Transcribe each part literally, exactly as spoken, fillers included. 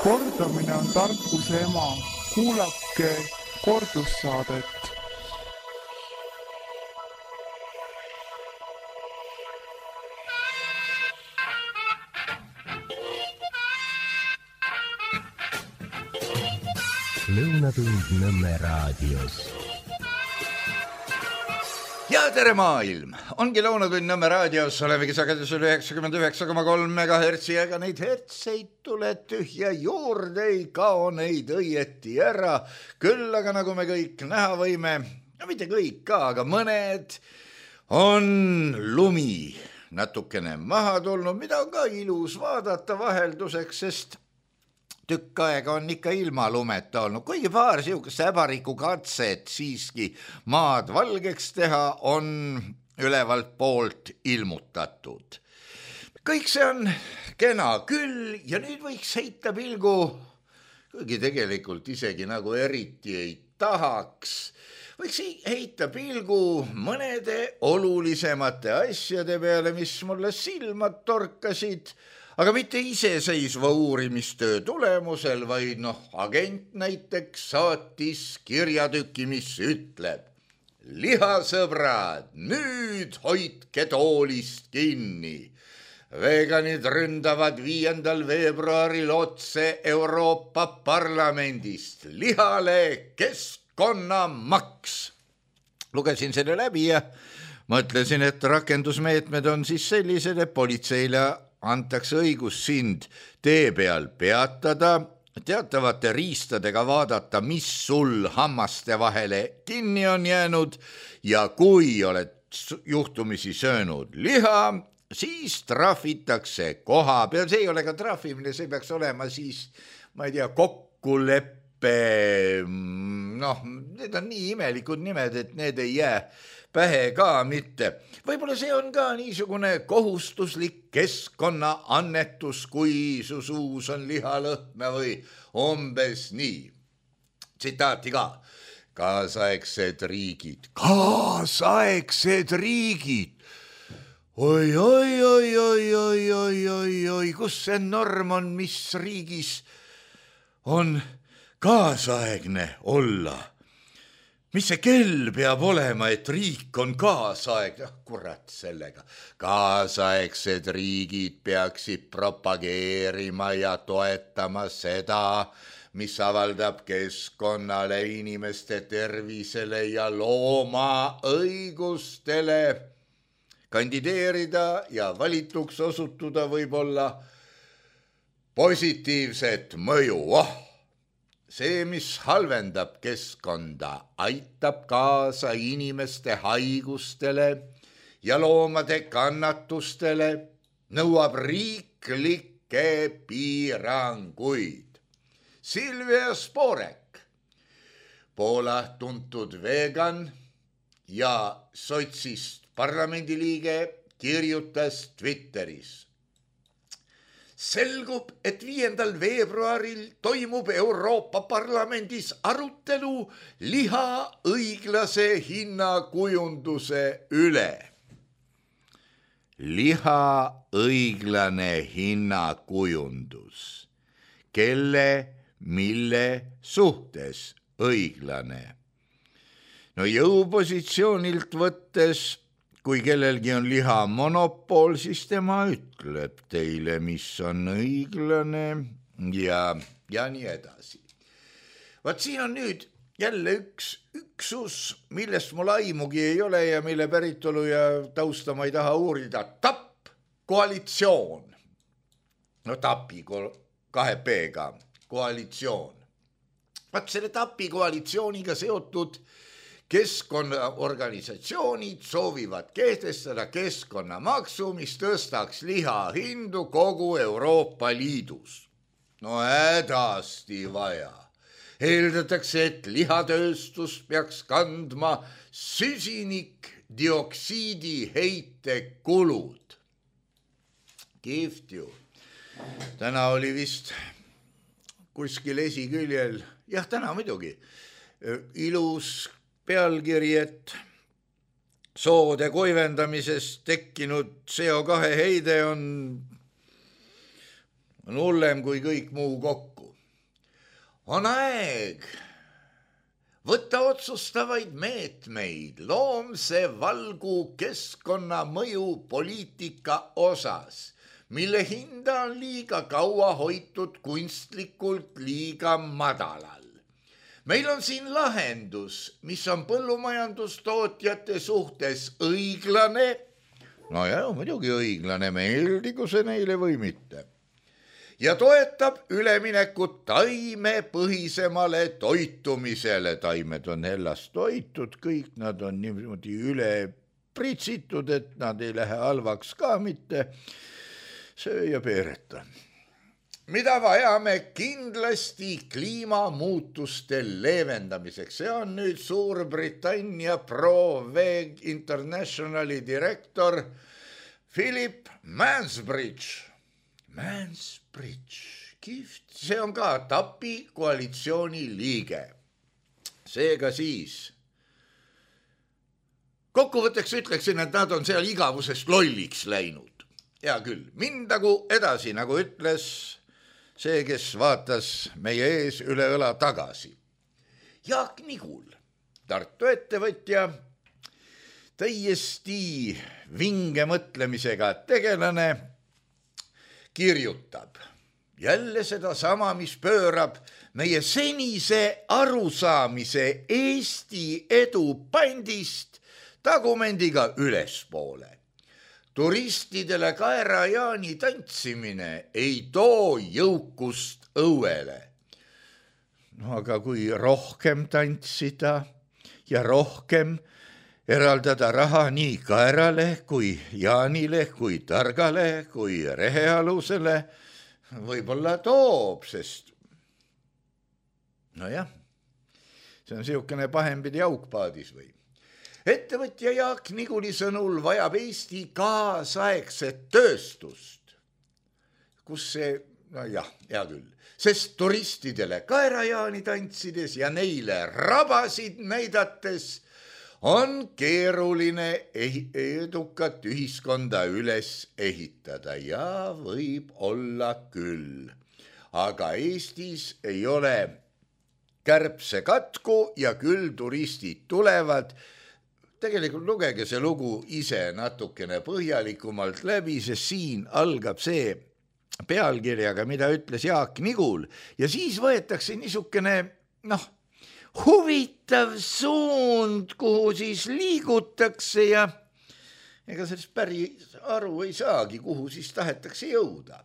Kordamine on tarkuse ema. Kuulake kordussaadet. Lõunatund Nõmme raadios. Ja tere maailm! Ongi Lõunatund Nõmme raadios, olemegi sagedusel üheksakümmend üheksa koma kolm megahertsi, aga neid hertseid tule tühja juurde, ei kao neid õieti ära. Küll aga nagu me kõik näha võime, no mitte kõik ka, aga mõned on lumi natukene maha tulnud, mida on ka ilus vaadata vahelduseks, sest tükk aega on ikka ilma lumeta olnud, kuigi paar siukest äbariku katset siiski maad valgeks teha on ülevalt poolt ilmutatud. Kõik see on kena küll ja nüüd võiks heita pilgu, kuigi tegelikult isegi nagu eriti ei tahaks, võiks heita pilgu mõnede olulisemate asjade peale, mis mulle silmad torkasid, aga mitte iseseisva uurimistöö tulemusel, vaid noh, agent näiteks saatis kirjatüki, mis ütleb: lihasõbrad, nüüd hoidke toolist kinni. Veganid ründavad viiendal veebruaril otse Euroopa Parlamendist. Lihale keskkonnamaks. Lugesin selle läbi ja mõtlesin, et rakendusmeetmed on siis sellised, et politseile antakse õigus sind tee peal peatada, teatavate riistadega vaadata, mis sul hammaste vahele kinni on jäänud ja kui oled juhtumisi söönud liha, siis trahvitakse koha peal. See ei ole ka trahvimine, see peaks olema siis, ma ei tea, kokkuleppe, noh, need on nii imelikud nimed, et need ei jää pähe ka mitte. Võib-olla see on ka niisugune kohustuslik keskkonnaannetus, kui su suus on lihalõhna või umbes nii. Tsitaati ka. Kaasaegsed riigid. Kaasaegsed riigid. Oi, oi, oi, oi, oi, oi, oi, oi, kus see norm on, mis riigis on kaasaegne olla? Mis see kell peab olema, et riik on kaasaeg? Ah, kurat sellega. Kaasaegsed riigid peaksid propageerima ja toetama seda, mis avaldab keskkonnale, inimeste tervisele ja looma õigustele. Kandideerida ja valituks osutuda võib olla positiivset mõju. Oh! See, mis halvendab keskkonda, aitab kaasa inimeste haigustele ja loomade kannatustele, nõuab riiklikke piiranguid. Silvia Sporek, Poola tuntud vegan ja sotsist parlamendiliige, kirjutas Twitteris: selgub, et viiendal veebruaril toimub Euroopa Parlamendis arutelu liha õiglase hinnakujunduse üle. Liha õiglane hinnakujundus. Kelle, mille suhtes õiglane? No jõupositsioonilt võttes, kui kellelgi on liha monopol, siis tema ütleb teile, mis on õiglane ja, ja nii edasi. Vaat siin on nüüd jälle üks üksus, millest mul aimugi ei ole ja mille päritolu ja tausta ma ei taha uurida. TAP koalitsioon. No TAPi kahe P-ga koalitsioon. Vaat selle TAPi koalitsiooniga seotud keskkonnaorganisatsioonid soovivad kehtestada keskkonnamaksu, mis tõstaks liha hindu kogu Euroopa Liidus. No hädasti vaja. Eeldatakse, et lihatööstus peaks kandma süsinikdioksiidi heite kulud. Kihvt ju. Täna oli vist kuskil esiküljel, jah, täna muidugi, ilus pealkiri, et soode kuivendamisest tekkinud C O kahe heide on, on hullem kui kõik muu kokku. On aeg võtta otsustavaid meetmeid loomse valgu keskkonna mõju poliitika osas, mille hinda on liiga kaua hoitud kunstlikult liiga madalal. Meil on siin lahendus, mis on põllumajandustootjate suhtes õiglane, no ja muidugi õiglane, meeldigu see neile või mitte, ja toetab üleminekut taimepõhisemale toitumisele. Taimed on hellast toitud, kõik nad on niimoodi üle pritsitud, et nad ei lähe halvaks ka mitte. Söö ja peereta. Mida vajame kindlasti kliimamuutuste leevendamiseks? See on nüüd Suurbritannia Pro-Veg Internationali direktor Philip Mansbridge. Mansbridge, kihvt, see on ka TAPi koalitsiooni liige. Seega siis kokkuvõtteks ütleksin, et nad on seal igavusest lolliks läinud. Hea küll, mindagu edasi, nagu ütles see, kes vaatas meie ees üle õla tagasi. Jaak Nigul, Tartu ettevõtja, täiesti vinge mõtlemisega tegelane, kirjutab jälle seda sama, mis pöörab meie senise arusaamise Eesti edu pandist tagumendiga ülespoole. Turistidele kaerajaani tantsimine ei too jõukust õuele. No aga kui rohkem tantsida ja rohkem eraldada raha nii kaerale kui Jaanile, kui Targale, kui Rehealusele, võib-olla toob, sest nojah, see on siukene pahempidi aukpaadis või. Ettevõtja Jaak Niguli sõnul vajab Eesti kaasaegset tööstust, kus see, no jah, hea küll, sest turistidele kaerajaani tantsides ja neile rabasid näidates on keeruline edukat ühiskonda üles ehitada ja võib olla küll. Aga Eestis ei ole kärbsekatku ja küll turistid tulevad. Tegelikult lugege see lugu ise natukene põhjalikumalt läbi, sest siin algab see pealkirjaga, mida ütles Jaak Nigul ja siis võetakse niisugune, noh, huvitav suund, kuhu siis liigutakse ja ega sellest päris aru ei saagi, kuhu siis tahetakse jõuda.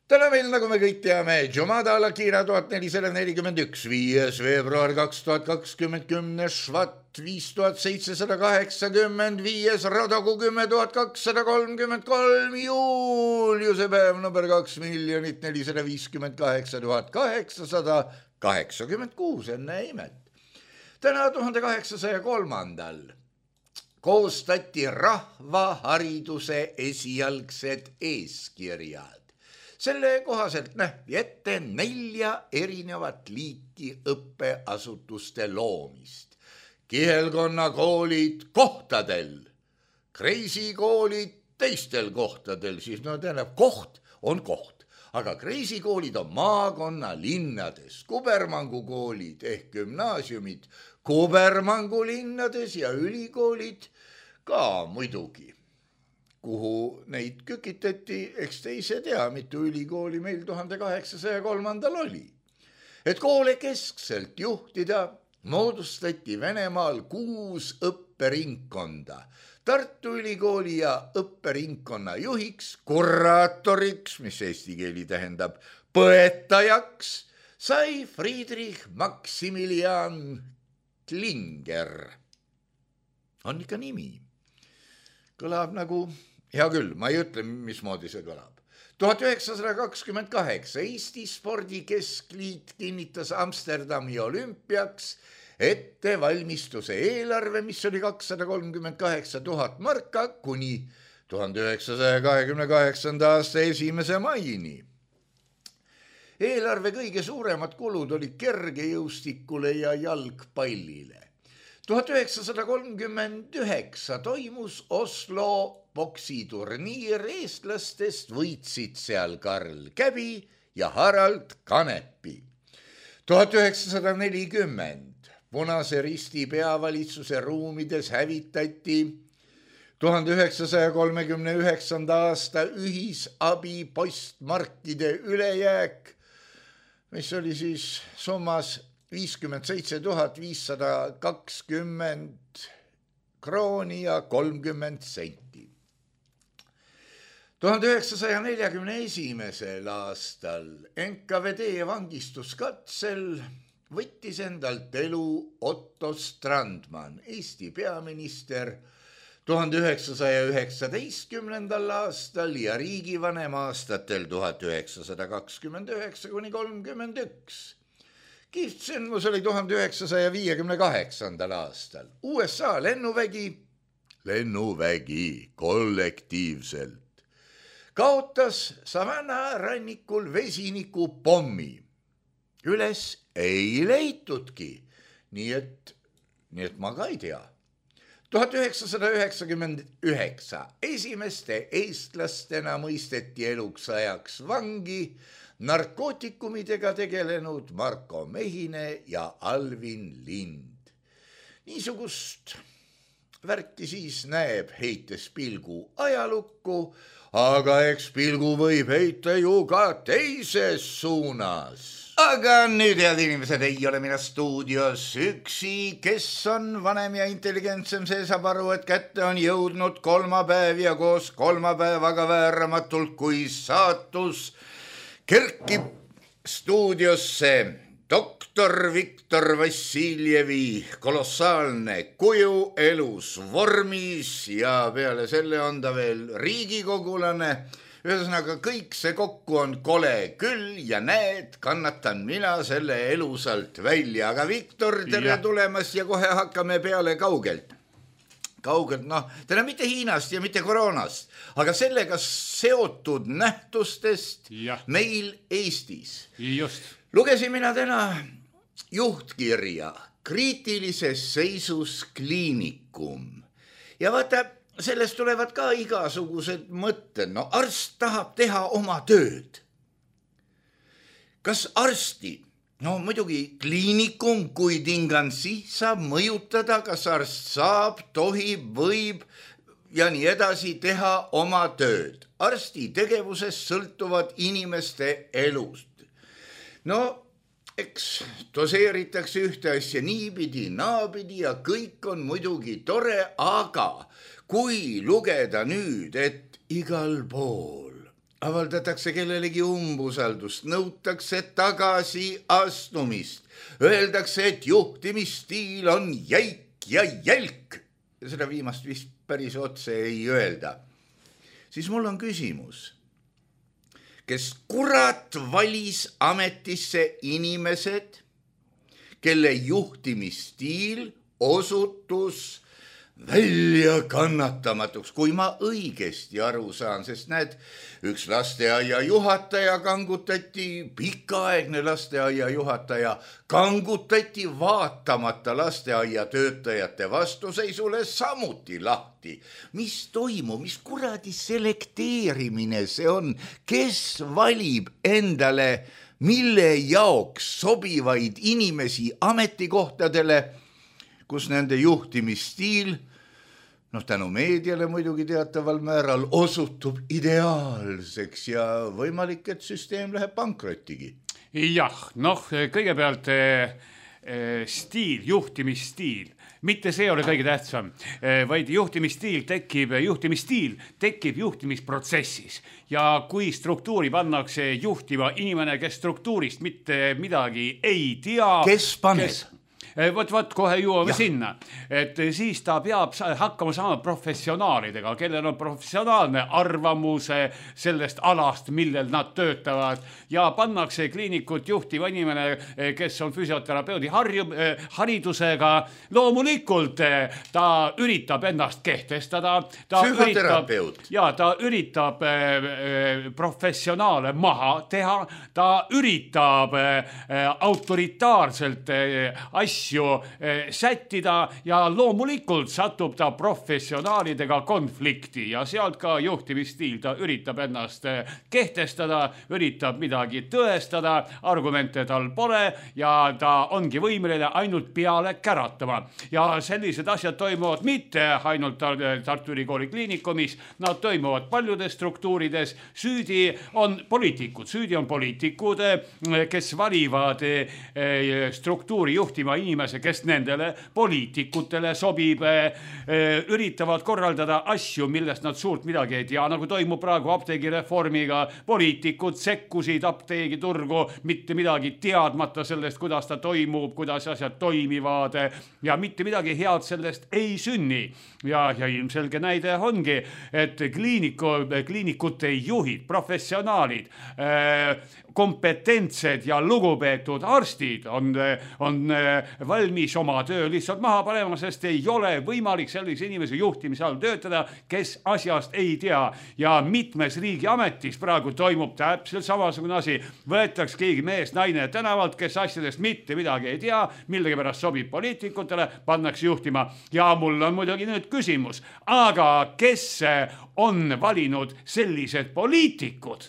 Täna meil, nagu me kõik teame, Jumada Alakira tuhat nelisada nelikümmend üks, viies veebruar kaks tuhat kakskümmend, kümnes Švat viis tuhat seitsesada kaheksakümmend, viies Radogu kümme tuhat kakssada kolmkümmend kolm, juuliuse päev number kaks miljonit nelisada viiskümmend kaheksa tuhat kaheksasada kaheksakümmend kuus, enne imet. Täna tuhande kaheksasaja kolmandal koostati rahvahariduse esialgsed eeskirjad. Selle kohaselt nähti ette nelja erinevat liiki õppeasutuste loomist. Kihelkonnakoolid kohtadel, kreisikoolid teistel kohtadel, siis no tähendab, koht on koht. Aga kreisikoolid on maakonna linnades, kubermangukoolid ehk gümnaasiumid kubermangulinnades ja ülikoolid ka muidugi. Kuhu neid kükitati, eks te ise tea, mitu ülikooli meil tuhande kaheksasaja kolmandal oli. Et koole keskselt juhtida, moodustati Venemaal kuus õpperingkonda. Tartu Ülikooli ja õpperingkonna juhiks, kuraatoriks, mis eesti keeli tähendab põetajaks, sai Friedrich Maximilian Klinger. On ikka nimi. Kõlab nagu, hea küll, ma ei ütle, mismoodi see kõlab. tuhat üheksasada kakskümmend kaheksa Eesti Spordikeskliit kinnitas Amsterdami olümpiaks ettevalmistuse eelarve, mis oli kakssada kolmkümmend kaheksa tuhat marka kuni tuhande üheksasaja kahekümne kaheksanda aasta esimese maini. Eelarve kõige suuremad kulud oli kergejõustikule ja jalgpallile. tuhat üheksasada kolmkümmend üheksa toimus Oslo poksiturniir, eestlastest võitsid seal Karl Käbi ja Harald Kanepi. tuhat üheksasada nelikümmend Punase Risti peavalitsuse ruumides hävitati tuhande üheksasaja kolmekümne üheksanda aasta ühisabi postmarkide ülejääk, mis oli siis summas viiskümmend seitse tuhat viissada kakskümmend krooni ja kolmkümmend senti. tuhande üheksasaja neljakümne esimesel aastal N K V D vangistuskatsel võttis endalt elu Otto Strandman, Eesti peaminister, tuhande üheksasaja üheksateistkümnendal aastal ja riigivanem aastatel tuhat üheksasada kakskümmend üheksa kuni kolmkümmend üks. Kihvtsündmus oli tuhande üheksasaja viiekümne kaheksandal aastal. U S A lennuvägi, lennuvägi kollektiivselt kaotas Savannah rannikul vesiniku pommi. Üles ei leitudki, nii et, nii et ma ka ei tea. tuhat üheksasada üheksakümmend üheksa esimeste eestlastena mõisteti eluks ajaks vangi narkootikumidega tegelenud Marko Mehine ja Alvin Lind. Niisugust värki siis näeb heites pilgu ajalukku, aga eks pilgu võib heita ju ka teises suunas. Aga nüüd, head inimesed, ei ole mina stuudios üksi, kes on vanem ja intelligentsem, see saab aru, et kätte on jõudnud kolmapäev ja koos kolmapäevaga vääramatult, kui saatus kerkib stuudiosse doktor Viktor Vassiljevi kolossaalne kuju elus vormis ja peale selle on ta veel riigikogulane. Ühesõnaga, kõik see kokku on kole küll ja näed, kannatan mina selle elusalt välja. Aga Viktor, tere ja. Tulemast ja kohe hakkame peale kaugelt. Kaugelt, noh, täna mitte Hiinast ja mitte koroonast, aga sellega seotud nähtustest ja. Meil Eestis. Just. Lugesin mina täna juhtkirja kriitilises seisus kliinikum ja vaata, sellest tulevad ka igasugused mõtted. No arst tahab teha oma tööd. Kas arsti, no muidugi kliinikum kui tingansi saab mõjutada, kas arst saab, tohib, võib ja nii edasi teha oma tööd. Arsti tegevusest sõltuvad inimeste elust. No, eks doseeritakse ühte asja niipidi, naapidi ja kõik on muidugi tore, aga kui lugeda nüüd, et igal pool avaldatakse kellelegi umbusaldust, nõutakse tagasi astumist, öeldakse, et juhtimisstiil on jäik ja jälk, ja seda viimast vist päris otse ei öelda, siis mul on küsimus, kes kurat valis ametisse inimesed, kelle juhtimisstiil osutus välja kannatamatuks, kui ma õigesti aru saan, sest näed, üks lasteaia juhataja kangutati, pikaaegne lasteaia juhataja kangutati vaatamata lasteaia töötajate vastuseisule samuti lahti. Mis toimub, mis kuradi selekteerimine see on, kes valib endale mille jaoks sobivaid inimesi ametikohtadele, kus nende juhtimisstiil, noh tänu meediale muidugi teataval määral osutub ideaalseks ja võimalik, et süsteem läheb pankrotigi. Jah, noh kõigepealt eh, stiil, juhtimisstiil, mitte see ole kõige tähtsam, eh, vaid juhtimisstiil tekib, juhtimisstiil tekib juhtimisprotsessis ja kui struktuuri pannakse juhtiva inimene, kes struktuurist mitte midagi ei tea, kes paneb? Kes... Võt, võt, kohe jõuame sinna, et siis ta peab hakkama saama professionaalidega, kellel on professionaalne arvamus sellest alast, millel nad töötavad ja pannakse kliinikut juhtiva inimene, kes on füsioterapeudi harju, haridusega. Loomulikult ta üritab ennast kehtestada. Ta Psühhoterapeut. Üritab, ja ta üritab professionaale maha teha, ta üritab autoritaarselt asju asju sättida ja loomulikult satub ta professionaalidega konflikti ja sealt ka juhtimisstiil, ta üritab ennast kehtestada, üritab midagi tõestada, argumente tal pole ja ta ongi võimeline ainult peale käratama. Ja sellised asjad toimuvad mitte ainult Tartu Ülikooli kliinikumis, nad toimuvad paljudes struktuurides. Süüdi on poliitikud, süüdi on poliitikud, kes valivad struktuuri juhtima inimese, kes nendele poliitikutele sobib, üritavad korraldada asju, millest nad suurt midagi ei tea, nagu toimub praegu apteegireformiga. Poliitikud sekkusid apteegiturgu, mitte midagi teadmata sellest, kuidas ta toimub, kuidas asjad toimivad ja mitte midagi head sellest ei sünni. Ja, ja ilmselge näide ongi, et kliiniku, kliinikute juhid, professionaalid, kompetentsed ja lugupeetud arstid on, on valmis oma töö lihtsalt maha panema, sest ei ole võimalik sellise inimese juhtimise all töötada, kes asjast ei tea. Ja mitmes riigi ametis praegu toimub täpselt samasugune asi. Võetaks keegi mees, naine tänavalt, kes asjadest mitte midagi ei tea, millegi pärast sobib poliitikutele, pannaks juhtima. Ja mul on muidugi nüüd küsimus, aga kes on valinud sellised poliitikud?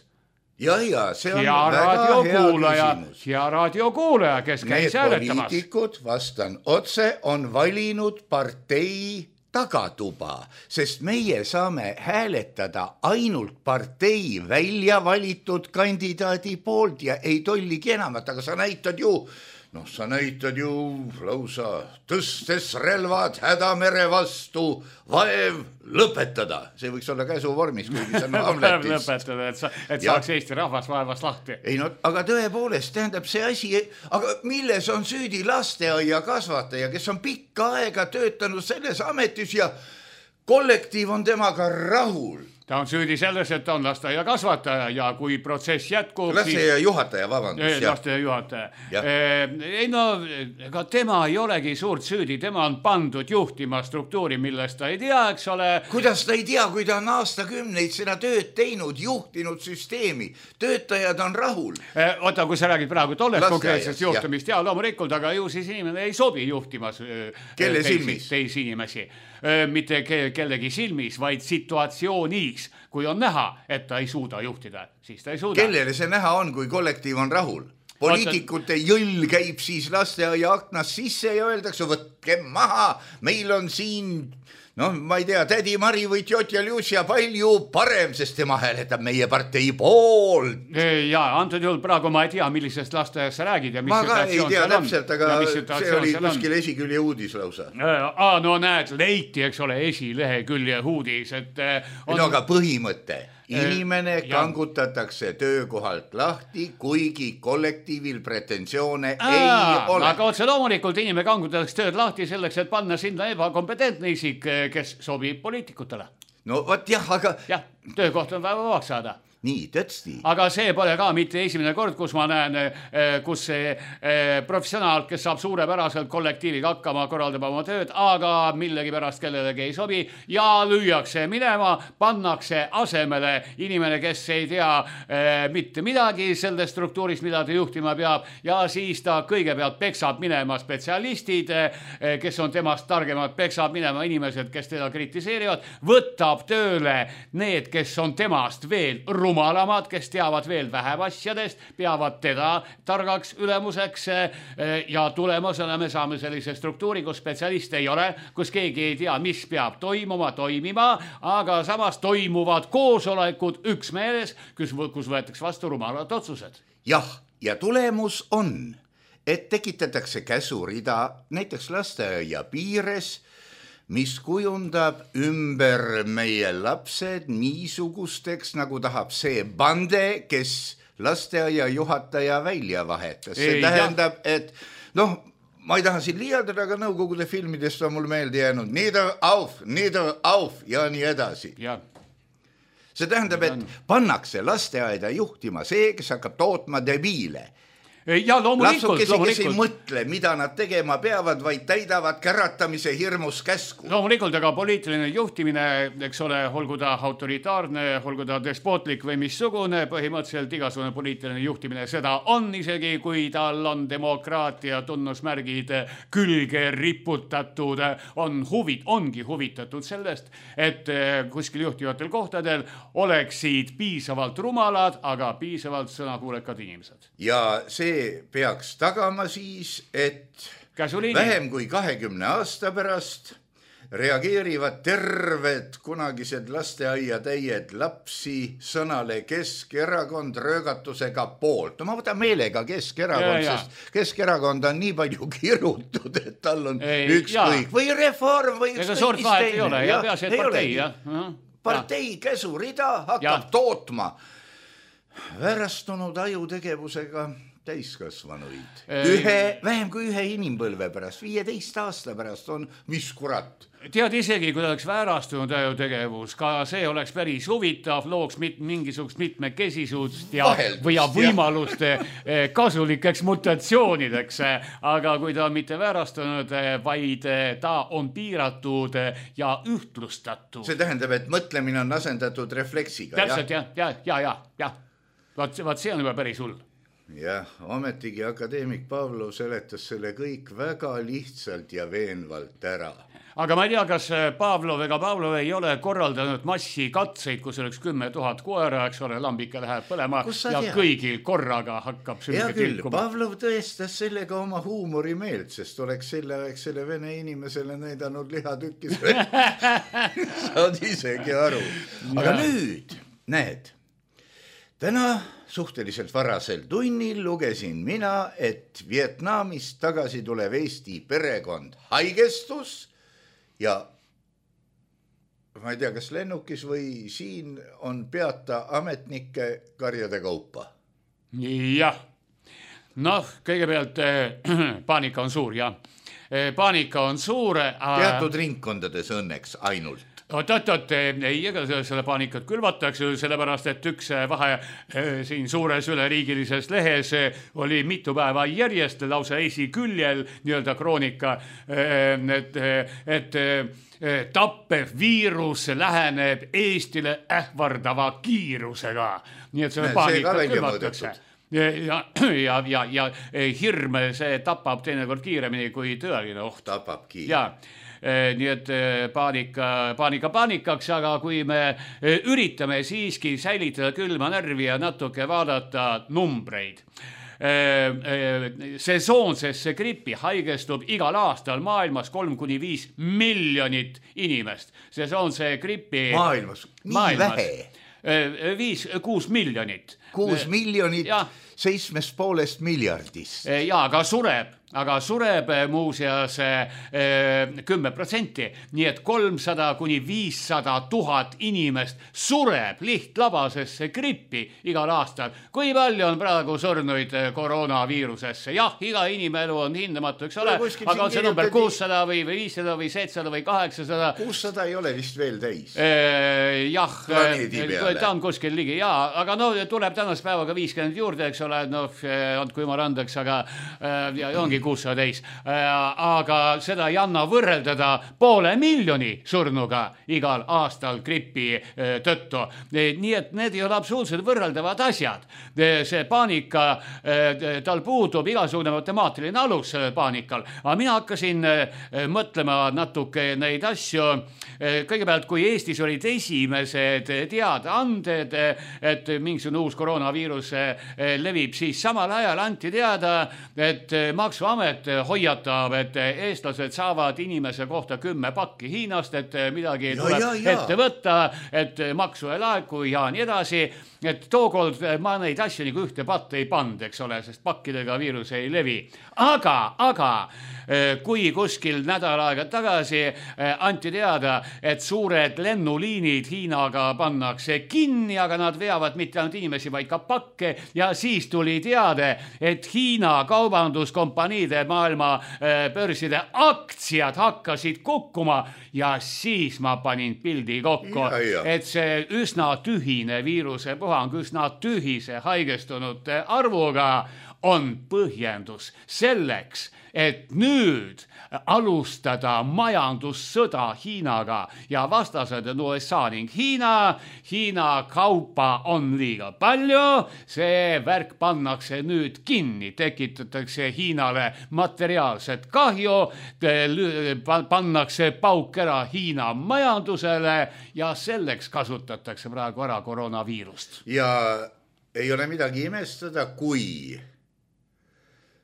Ja, ja, see on ja väga hea küsimus. Ja raadiokuulaja, kes käis hääletamas. Need poliitikud, vastan otse, on valinud partei tagatuba, sest meie saame hääletada ainult partei välja valitud kandidaadi poolt ja ei tolligi enamat, aga sa näitad ju Noh, sa näitad ju lausa tõstes relvad hädamere vastu, vaev lõpetada. See võiks olla käsu vormis, kuigi see on Hamletis. lõpetada, et, sa, et saaks Eesti rahvas vaevast lahti. Ei no, aga tõepoolest tähendab see asi, aga milles on süüdi lasteaia kasvataja, kes on pikka aega töötanud selles ametis ja kollektiiv on temaga rahul. Ta on süüdi selles, et ta on lasteaia kasvataja ja kui protsess jätkub... Lasteaia siis... juhataja, vabandust. Lasteaia juhataja. Ei no, ega tema ei olegi suurt süüdi, tema on pandud juhtima struktuuri, millest ta ei tea, eks ole. Kuidas ta ei tea, kui ta on aastakümneid seda tööd teinud, juhtinud süsteemi, töötajad on rahul. Oota, kui sa räägid praegu tollest konkreetsest juhtumist, ja loomulikult, aga ju siis inimene ei sobi juhtimas Kelle silmis? teisi inimesi. Mitte kellegi silmis, vaid situatsioonis, kui on näha, et ta ei suuda juhtida, siis ta ei suuda. Kellele see näha on, kui kollektiiv on rahul? Poliitikute jõll käib siis lasteaia aknas sisse ja öeldakse, võtke maha, meil on siin... No ma ei tea, tädi Mari või tjotja Lucia palju parem, sest tema hääletab meie partei poolt. Ja antud juhul praegu ma ei tea, millisest lasteaias sa räägid ja mis ma ka ei tea täpselt, aga see oli kuskil on. Esikülje uudis lausa. Aa, no näed, leiti, eks ole, esilehekülje uudis. Et on... No aga põhimõte. Inimene kangutatakse töökohalt lahti, kuigi kollektiivil pretensioone Aa, ei ole. Aga otse loomulikult inimene kangutatakse tööd lahti selleks, et panna sinna ebakompetentne isik, kes sobib poliitikutele. No võt jah, aga... Jah, töökoht on väga vabaks saada. Nii, tõesti. Aga see pole ka mitte esimene kord, kus ma näen, kus see professionaal, kes saab suurepäraselt kollektiiviga hakkama, korraldab oma tööd, aga millegi pärast kellelegi ei sobi ja lüüakse minema, pannakse asemele inimene, kes ei tea mitte midagi sellest struktuurist, mida ta juhtima peab ja siis ta kõigepealt peksab minema spetsialistid, kes on temast targemad, peksab minema inimesed, kes teda kritiseerivad, võtab tööle need, kes on temast veel ruumis rumalamad, kes teavad veel vähem asjadest, peavad teda targaks ülemuseks ja tulemusena me saame sellise struktuuri, kus spetsialiste ei ole, kus keegi ei tea, mis peab toimuma, toimima, aga samas toimuvad koosolekud üksmeeles, kus, kus võetakse vastu rumalad otsused. Jah, ja tulemus on, et tekitatakse käsurida näiteks lasteaia piires, mis kujundab ümber meie lapsed niisugusteks, nagu tahab see bande, kes lasteaia juhataja välja vahetas. See ei, tähendab, jah. Et noh, ma ei taha siin liialdada, aga nõukogude filmidest on mul meelde jäänud nieder auf, nieder auf ja nii edasi. Ja. See tähendab, et pannakse lasteaeda juhtima see, kes hakkab tootma debiile. Ja loomulikult, lapsukesi, kes ei loomulikult. mõtle, mida nad tegema peavad, vaid täidavad käratamise hirmus käsku. Loomulikult, aga poliitiline juhtimine, eks ole, olgu ta autoritaarne, olgu ta despootlik või missugune, põhimõtteliselt igasugune poliitiline juhtimine, seda on isegi, kui tal on demokraatia tunnusmärgid külge riputatud, on huvid, ongi huvitatud sellest, et kuskil juhtivatel kohtadel oleksid piisavalt rumalad, aga piisavalt sõnakuulekad inimesed. Ja see peaks tagama siis, et Käsuliini. vähem kui kahekümne aasta pärast reageerivad terved kunagised lasteaia täied lapsi sõnale Keskerakond röögatusega poolt. No ma võtan meelega Keskerakond, ja, ja. sest Keskerakond on nii palju kirutud, et tal on ei, ükskõik. Või reform või ükskõik. Ega suurt vahet ei ole, ja peaasi, et partei. Ja. Partei käsurida hakkab ja. tootma väärastunud ajutegevusega täiskasvanuid. Ühe, vähem kui ühe inimpõlve pärast, viieteist aasta pärast on, mis kurat. Tead isegi, kui oleks väärastunud ajutegevus, ka see oleks päris huvitav, looks mit, mingisugust mitmekesisust ja, või ja võimalust kasulikeks mutatsioonideks. Aga kui ta on mitte väärastunud, vaid ta on piiratud ja ühtlustatud. See tähendab, et mõtlemine on asendatud refleksiga. Täpselt, jah, ja, ja, ja, ja. Vaat, vaat see on juba päris hull. Jah, ometigi akadeemik Pavlov seletas selle kõik väga lihtsalt ja veenvalt ära. Aga ma ei tea, kas Pavlov ega Pavlov ei ole korraldanud massi katseid, kus oleks kümme tuhat koera, eks ole, lambike läheb põlema ja tead? Kõigil korraga hakkab sümke tilkuma. Pavlov tõestas sellega oma huumorimeelt, sest oleks selle, eks selle vene inimesele näidanud lihatükkis. Saad isegi aru. Aga ja. nüüd, näed, täna suhteliselt varasel tunnil lugesin mina, et Vietnamist tagasi tulev Eesti perekond haigestus ja ma ei tea, kas lennukis või siin on peata ametnike karjade kaupa. Jah, noh, kõigepealt äh, paanika on suur, jah. Paanika on suur. Äh, Teatud ringkondades õnneks ainult. Oot-oot-oot, ei, ega selle paanikat külvatakse, sellepärast, et üks vahe siin suures üleriigilises lehes oli mitu päeva järjest lausa esiküljel nii-öelda kroonika, et, et tappev viirus läheneb Eestile ähvardava kiirusega. Nii et selle paanikat külvatakse. Ja, ja, ja, ja hirm, see tapab teinekord kiiremini kui tõeline oht. Tapabki. Ja, nii et paanika, paanika paanikaks, aga kui me üritame siiski säilitada külma närvi ja natuke vaadata numbreid. Sesoonsesse gripi haigestub igal aastal maailmas kolm kuni viis miljonit inimest. Sesoonse gripi maailmas, nii maailmas. Vähe. Viis, kuus miljonit. Kuus miljonit ja. Seitsmest poolest miljardist. Ja, aga sureb, aga sureb muuseas kümme protsenti, nii et kolmsada kuni viissada tuhat inimest sureb lihtlabasesse grippi igal aastal. Kui palju on praegu surnuid koroonaviirusesse? Jah, iga inimelu on hindamatu, eks ole, aga on see number kuussada või viissada või seitsesada või kaheksasada. kuussada ei ole vist veel täis. Jah, ta on kuskil ligi, jaa, aga no tuleb tänast päevaga viiskümmend juurde, eks ole, no on kui ma randaks, aga ja ongi kuussada täis. Aga seda ei anna võrreldada poole miljoni surnuga igal aastal gripi tõttu. Nii et need ei ole absoluutselt võrreldavad asjad. See paanika, tal puudub igasugune matemaatiline alus sellel paanikal. Aga mina hakkasin mõtlema natuke neid asju. Kõigepealt, kui Eestis olid esimesed teadaanded, et mingisugune uus koroonaviirus levib, siis samal ajal anti teada, et maksuamet hoiatab, et eestlased saavad inimese kohta kümme pakki Hiinast, et midagi ja, tuleb ja, ja. ette võtta, et maksu ei laeku ja nii edasi. Et tookord ma neid asju nagu ühte patta ei pand, eks ole, sest pakkidega viirus ei levi. Aga, aga kui kuskil nädal aega tagasi anti teada, et suured lennuliinid Hiinaga pannakse kinni, aga nad veavad mitte ainult inimesi, vaid ka pakke ja siis tuli teade, et Hiina kaubanduskompaniide maailma börside aktsiad hakkasid kukkuma ja siis ma panin pildi kokku, ja, ja. et see üsna tühine viiruse puhang, üsna tühise haigestunute arvuga on põhjendus selleks, et nüüd alustada majandussõda Hiinaga ja vastased on U S A ning Hiina. Hiina kaupa on liiga palju, see värk pannakse nüüd kinni, tekitatakse Hiinale materiaalset kahju, pannakse pauk ära Hiina majandusele ja selleks kasutatakse praegu ära koroonaviirust. Ja ei ole midagi imestada, kui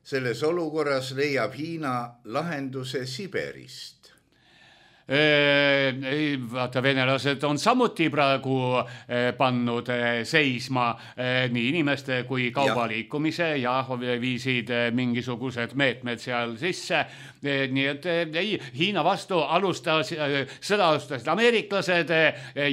selles olukorras leiab Hiina lahenduse Siberist. Ei, vaata, venelased on samuti praegu pannud seisma nii inimeste kui kaubaliikumise ja viisid mingisugused meetmed seal sisse. Nii et ei, Hiina vastu alustas, sõda alustasid ameeriklased,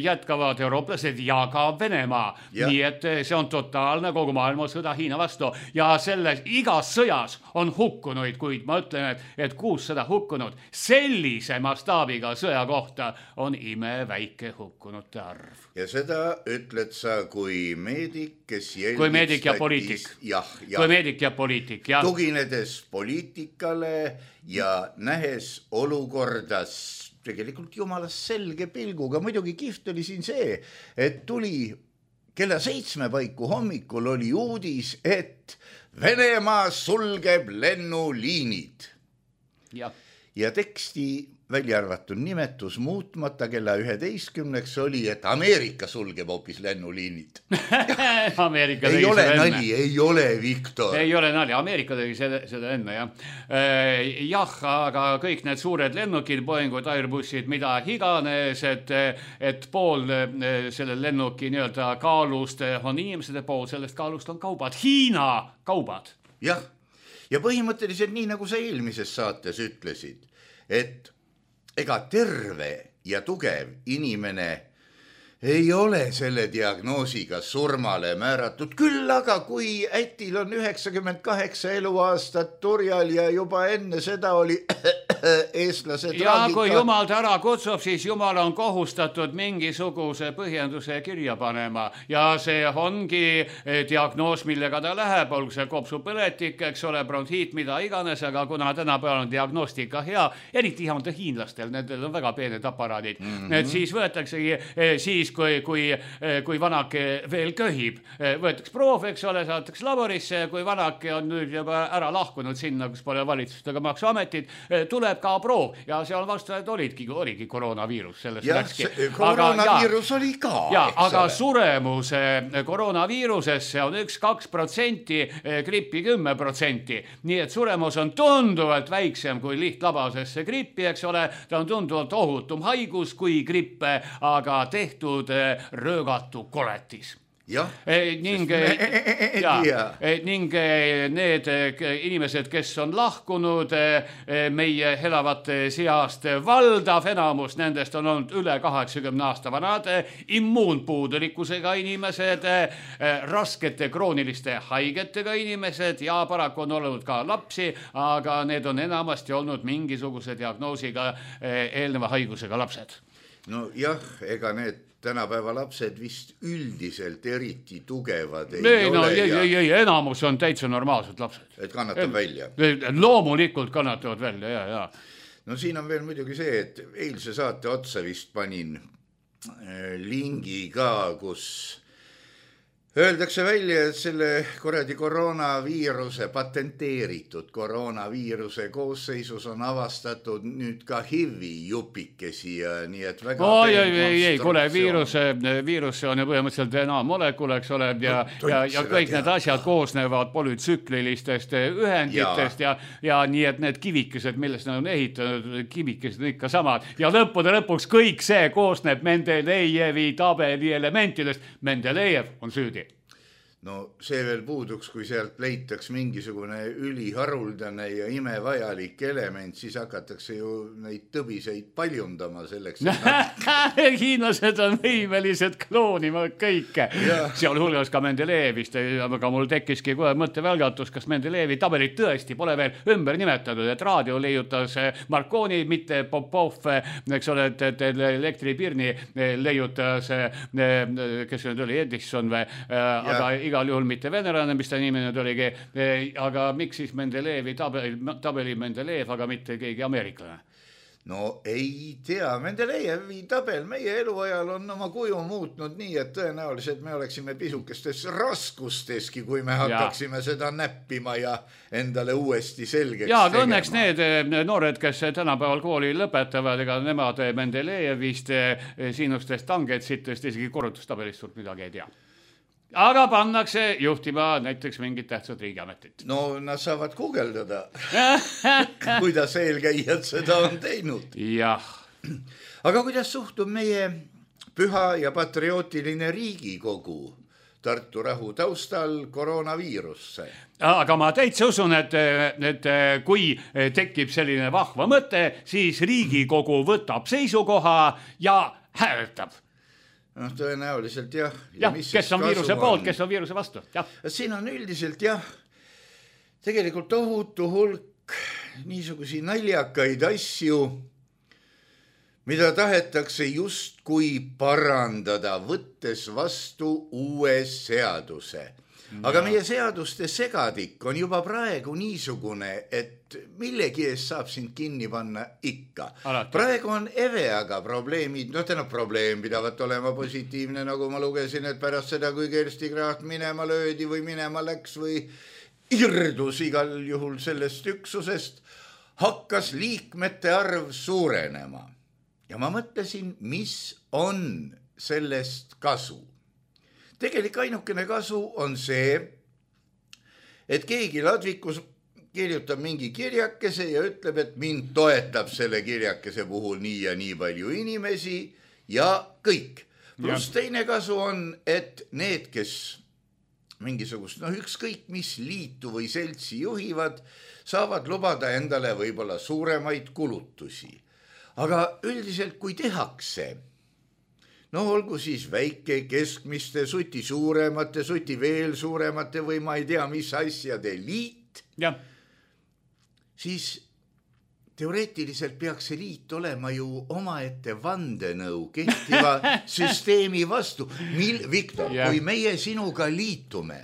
jätkavad eurooplased ja ka Venemaa. Ja. Nii et see on totaalne kogu maailma sõda Hiina vastu ja selles igas sõjas on hukkunuid, kuid ma ütlen, et, et kuussada hukkunud sellise mastaabiga sõja kohta on imeväike hukkunute arv. Ja seda ütled sa kui meedik, kes jälgib kui meedik ja poliitik. Jah, jah. Kui meedik ja poliitik, jah. Tuginedes poliitikale ja nähes olukordas tegelikult jumalas selge pilguga. Muidugi kihvt oli siin see, et tuli kella seitsme paiku hommikul oli uudis, et Venemaa sulgeb lennuliinid. Ja, ja teksti välja arvatud nimetus muutmata kella üheteistkümneks oli, et Ameerika sulgeb hoopis lennuliinid. Ameerika ei ole nali, ei ole, Viktor. Ei ole nali, Ameerika tegi seda, seda enne, jah. Jah, aga kõik need suured lennukid, Boeingud, Airbussid, mida iganes, et, et pool selle lennuki nii-öelda kaalust on inimesede pool, sellest kaalust on kaubad, Hiina kaubad. Jah, ja põhimõtteliselt nii, nagu sa eelmises saates ütlesid, et ega terve ja tugev inimene ei ole selle diagnoosiga surmale määratud. Küll aga kui ätil on üheksakümmend kaheksa eluaastat turjal ja juba enne seda oli eestlase traagika. Ja kui jumal ta ära kutsub, siis jumal on kohustatud mingisuguse põhjenduse kirja panema ja see ongi diagnoos, millega ta läheb, olgu see kopsupõletik, eks ole, bronhiit, mida iganes, aga kuna tänapäeval on diagnostika hea, eriti on ta hiinlastel, nendel on väga peened aparaadid, mm-hmm. et siis võetaksegi, siis kui, kui, kui vanake veel köhib, võetakse proov, eks ole, saatakse laborisse, kui vanake on nüüd juba ära lahkunud sinna, kus pole valitsustega maksuametid, tuleb ka proov ja seal vastajad olidki, oligi koroonaviirus sellest ja, läkski. Koroonaviirus aga, oli ka. Ja, aga suremuse koroonaviirusesse on üks kaks protsenti, grippi kümme protsenti. Nii et suremus on tunduvalt väiksem kui lihtlabasesse grippi, eks ole. Ta on tunduvalt ohutum haigus kui grippe, aga tehtud röögatu koletis. Ja, e, ning, e, ja, e, ning need inimesed, kes on lahkunud e, meie elavate seast, valdav enamus nendest on olnud üle kaheksakümne aasta vanad, immuunpuudulikkusega inimesed, e, raskete krooniliste haigetega inimesed ja paraku on olnud ka lapsi, aga need on enamasti olnud mingisuguse diagnoosiga e, eelneva haigusega lapsed. No jah, ega need tänapäeva lapsed vist üldiselt eriti tugevad ei, ei ole. No, ei, ei, ei, enamus on täitsa normaalsed lapsed. Et kannatab välja. Loomulikult kannatavad välja, ja, ja. No siin on veel muidugi see, et eilse saate otsa vist panin lingi ka, kus öeldakse välja, et selle korradi koroonaviiruse, patenteeritud koroonaviiruse koosseisus on avastatud nüüd ka H I V-i jupikesi ja nii et väga oh, ei, ei, ei, kuule, viiruse, viiruse on ju põhimõtteliselt D N A molekul, eks ole, ja, ja, ja kõik need asjad koosnevad polütsüklilistest ühenditest ja. Ja, ja nii et need kivikesed, millest nad on ehitanud, kivikesed on ikka samad ja lõppude lõpuks kõik see koosneb Mendelejevi tabeli elementidest. Mendelejev on süüdi. No see veel puuduks, kui sealt leitaks mingisugune üliharuldane ja imevajalik element, siis hakatakse ju neid tõbiseid paljundama selleks. Nad... Hiinlased on võimelised kloonima kõike. Seal hulgas ka Mendelejevist, aga mul tekkiski kohe mõttevälgatus, kas Mendelejevi tabelit tõesti pole veel ümber nimetatud, et raadio leiutas Marconi, mitte Popov, eks ole, et, et elektripirni leiutas, kes nüüd oli Edison või, aga igal juhul mitte venelane, mis ta nimi nüüd oligi, aga miks siis Mendeleevi tabeli, tabeli Mendeleev, aga mitte keegi ameeriklane? No ei tea, Mendeleevi tabel meie eluajal on oma kuju muutnud nii, et tõenäoliselt me oleksime pisukestes raskusteski, kui me hakkaksime ja. seda näppima ja endale uuesti selgeks ja, tegema. Õnneks need noored, kes tänapäeval kooli lõpetavad, ega nemad Mendeleevist, siinustest tangetsitest, isegi korrutustabelist suurt midagi ei tea. Aga pannakse juhtima näiteks mingit tähtsat riigiametit. No nad saavad guugeldada, kuidas eelkäijad seda on teinud. Jah. Aga kuidas suhtub meie püha ja patriootiline Riigikogu Tartu rahu taustal koroonaviirusse? Aga ma täitsa usun, et, et kui tekib selline vahva mõte, siis Riigikogu võtab seisukoha ja hääletab. No tõenäoliselt jah. Ja, ja kes on viiruse poolt, kes on viiruse vastu. Ja. Siin on üldiselt jah, tegelikult tohutu hulk niisugusi naljakaid asju, mida tahetakse just kui parandada, võttes vastu uue seaduse. Aga meie seaduste segadik on juba praegu niisugune, et millegi ees saab sind kinni panna ikka. Alati. Praegu on Eveaga probleemid, no täna probleem pidavat olema positiivne, nagu ma lugesin, et pärast seda, kui Kersti Kraat minema löödi või minema läks või irdus igal juhul sellest üksusest, hakkas liikmete arv suurenema. Ja ma mõtlesin, mis on sellest kasu. Tegelik ainukene kasu on see, et keegi ladvikus kirjutab mingi kirjakese ja ütleb, et mind toetab selle kirjakese puhul nii ja nii palju inimesi ja kõik. Plus ja. Teine kasu on, et need, kes mingisugust, no ükskõik mis liitu või seltsi juhivad, saavad lubada endale võib-olla suuremaid kulutusi. Aga üldiselt, kui tehakse, no olgu siis väike, keskmiste, suti suuremate, suti veel suuremate või ma ei tea, mis asjade liit, ja. Siis teoreetiliselt peaks see liit olema ju omaette vandenõu kehtiva süsteemi vastu. Mil, Viktor, ja. Kui meie sinuga liitume,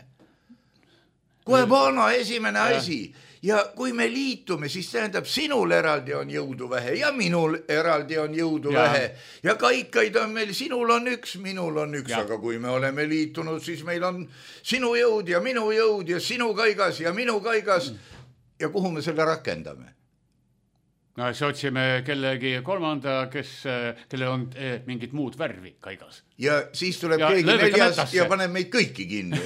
kohe vana esimene ja. Asi, ja kui me liitume, siis tähendab, sinul eraldi on jõudu vähe ja minul eraldi on jõudu ja. Vähe. Ja kaikaid on meil, sinul on üks, minul on üks, ja. Aga kui me oleme liitunud, siis meil on sinu jõud ja minu jõud ja sinu kaigas ja minu kaigas. Ja kuhu me selle rakendame? No, siis otsime kellegi kolmanda, kes, kelle on eh, mingit muud värvi kaigas. Ja siis tuleb ja, keegi neljas ja paneb meid kõiki kinni.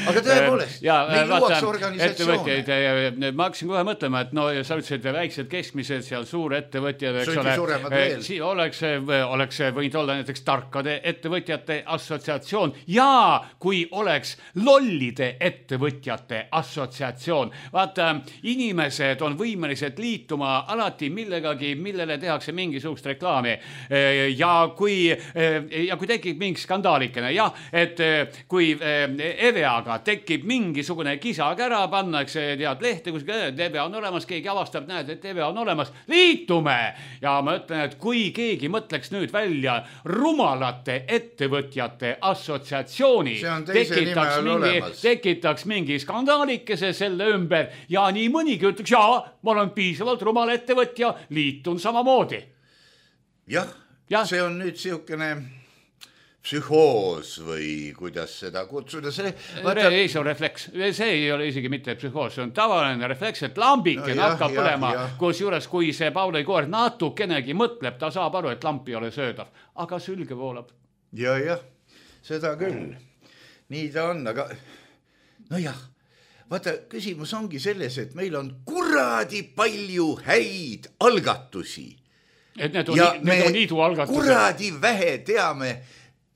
Aga tõepoolest, ja, meil luuakse organisatsioone. Ma hakkasin kohe mõtlema, et no, sa ütlesid väiksed keskmised, seal suur ettevõtjad, eks ole, si oleks, oleks võinud olla näiteks tarkade ettevõtjate assotsiatsioon ja kui oleks lollide ettevõtjate assotsiatsioon. Vaata, inimesed on võimelised liituma alati millegagi, millele tehakse mingisugust reklaami. Ja kui ja kui tekib mingi skandaalikene, jah, et kui Eveaga tekib mingisugune kisakära, pannakse tead lehte, kus Eve on olemas, keegi avastab, näed, et Eve on olemas, liitume! Ja ma ütlen, et kui keegi mõtleks nüüd välja rumalate ettevõtjate assotsiatsiooni, tekitaks mingi, tekitaks mingi skandaalikese selle ümber ja nii mõnigi ütleks, jaa, ma olen piisavalt rumal ettevõtja, liitun samamoodi. Jah. Ja. See on nüüd siukene psühhoos või kuidas seda kutsuda. See, vaata... ei, see on refleks. See ei ole isegi mitte psühhoos, see on tavaline refleks, et lambike no, hakkab jah, põlema, jah. Kus juures, kui see Pauli koer natukenegi mõtleb, ta saab aru, et lamp ei ole söödav, aga sülge voolab. Ja, jah, seda küll. Nii ta on, aga no jah, vaata, küsimus ongi selles, et meil on kuradi palju häid algatusi. Et need on, need on liidu algatused. Kuradi vähe teame,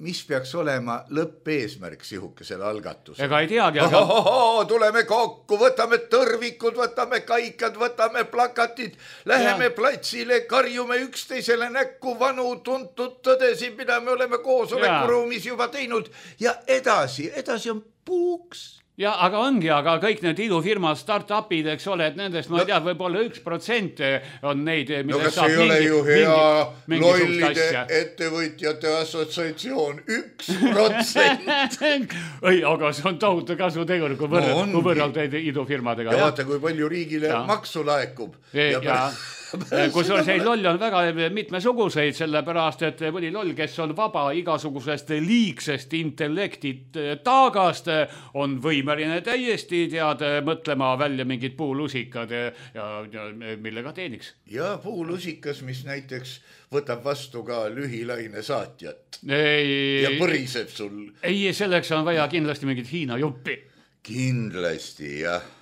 mis peaks olema lõppeesmärk sihukesele algatusele. Ega ei teagi, aga... Oh, oh, oh, tuleme kokku, võtame tõrvikud, võtame kaikad, võtame plakatid, läheme ja. Platsile, karjume üksteisele näkku vanu tuntud tõdesid, mida me oleme koosolekuruumis juba teinud ja edasi, edasi on puuks ja aga ongi, aga kõik need idufirmad, start-upid, eks ole, et nendest, ma no, ei tea, võib-olla üks protsent on neid, no kas ei ole ju hea lollide ettevõtjate assotsiatsioon, üks protsent. ei, aga see on tohutu kasutegur, kui võrreld, no, kui võrreld idufirmadega. ja vaata, kui palju riigile ja. maksu laekub. ja, ja. Kusjuures neid loll on väga mitmesuguseid, sellepärast, et mõni loll, kes on vaba igasugusest liigsest intellektit taagast, on võimeline täiesti tead mõtlema välja mingid puulusikad ja, ja, ja millega teeniks. Ja puulusikas, mis näiteks võtab vastu ka lühilaine saatjat ei, ja põriseb sul. Ei, selleks on vaja kindlasti mingit Hiina juppi. Kindlasti, jah.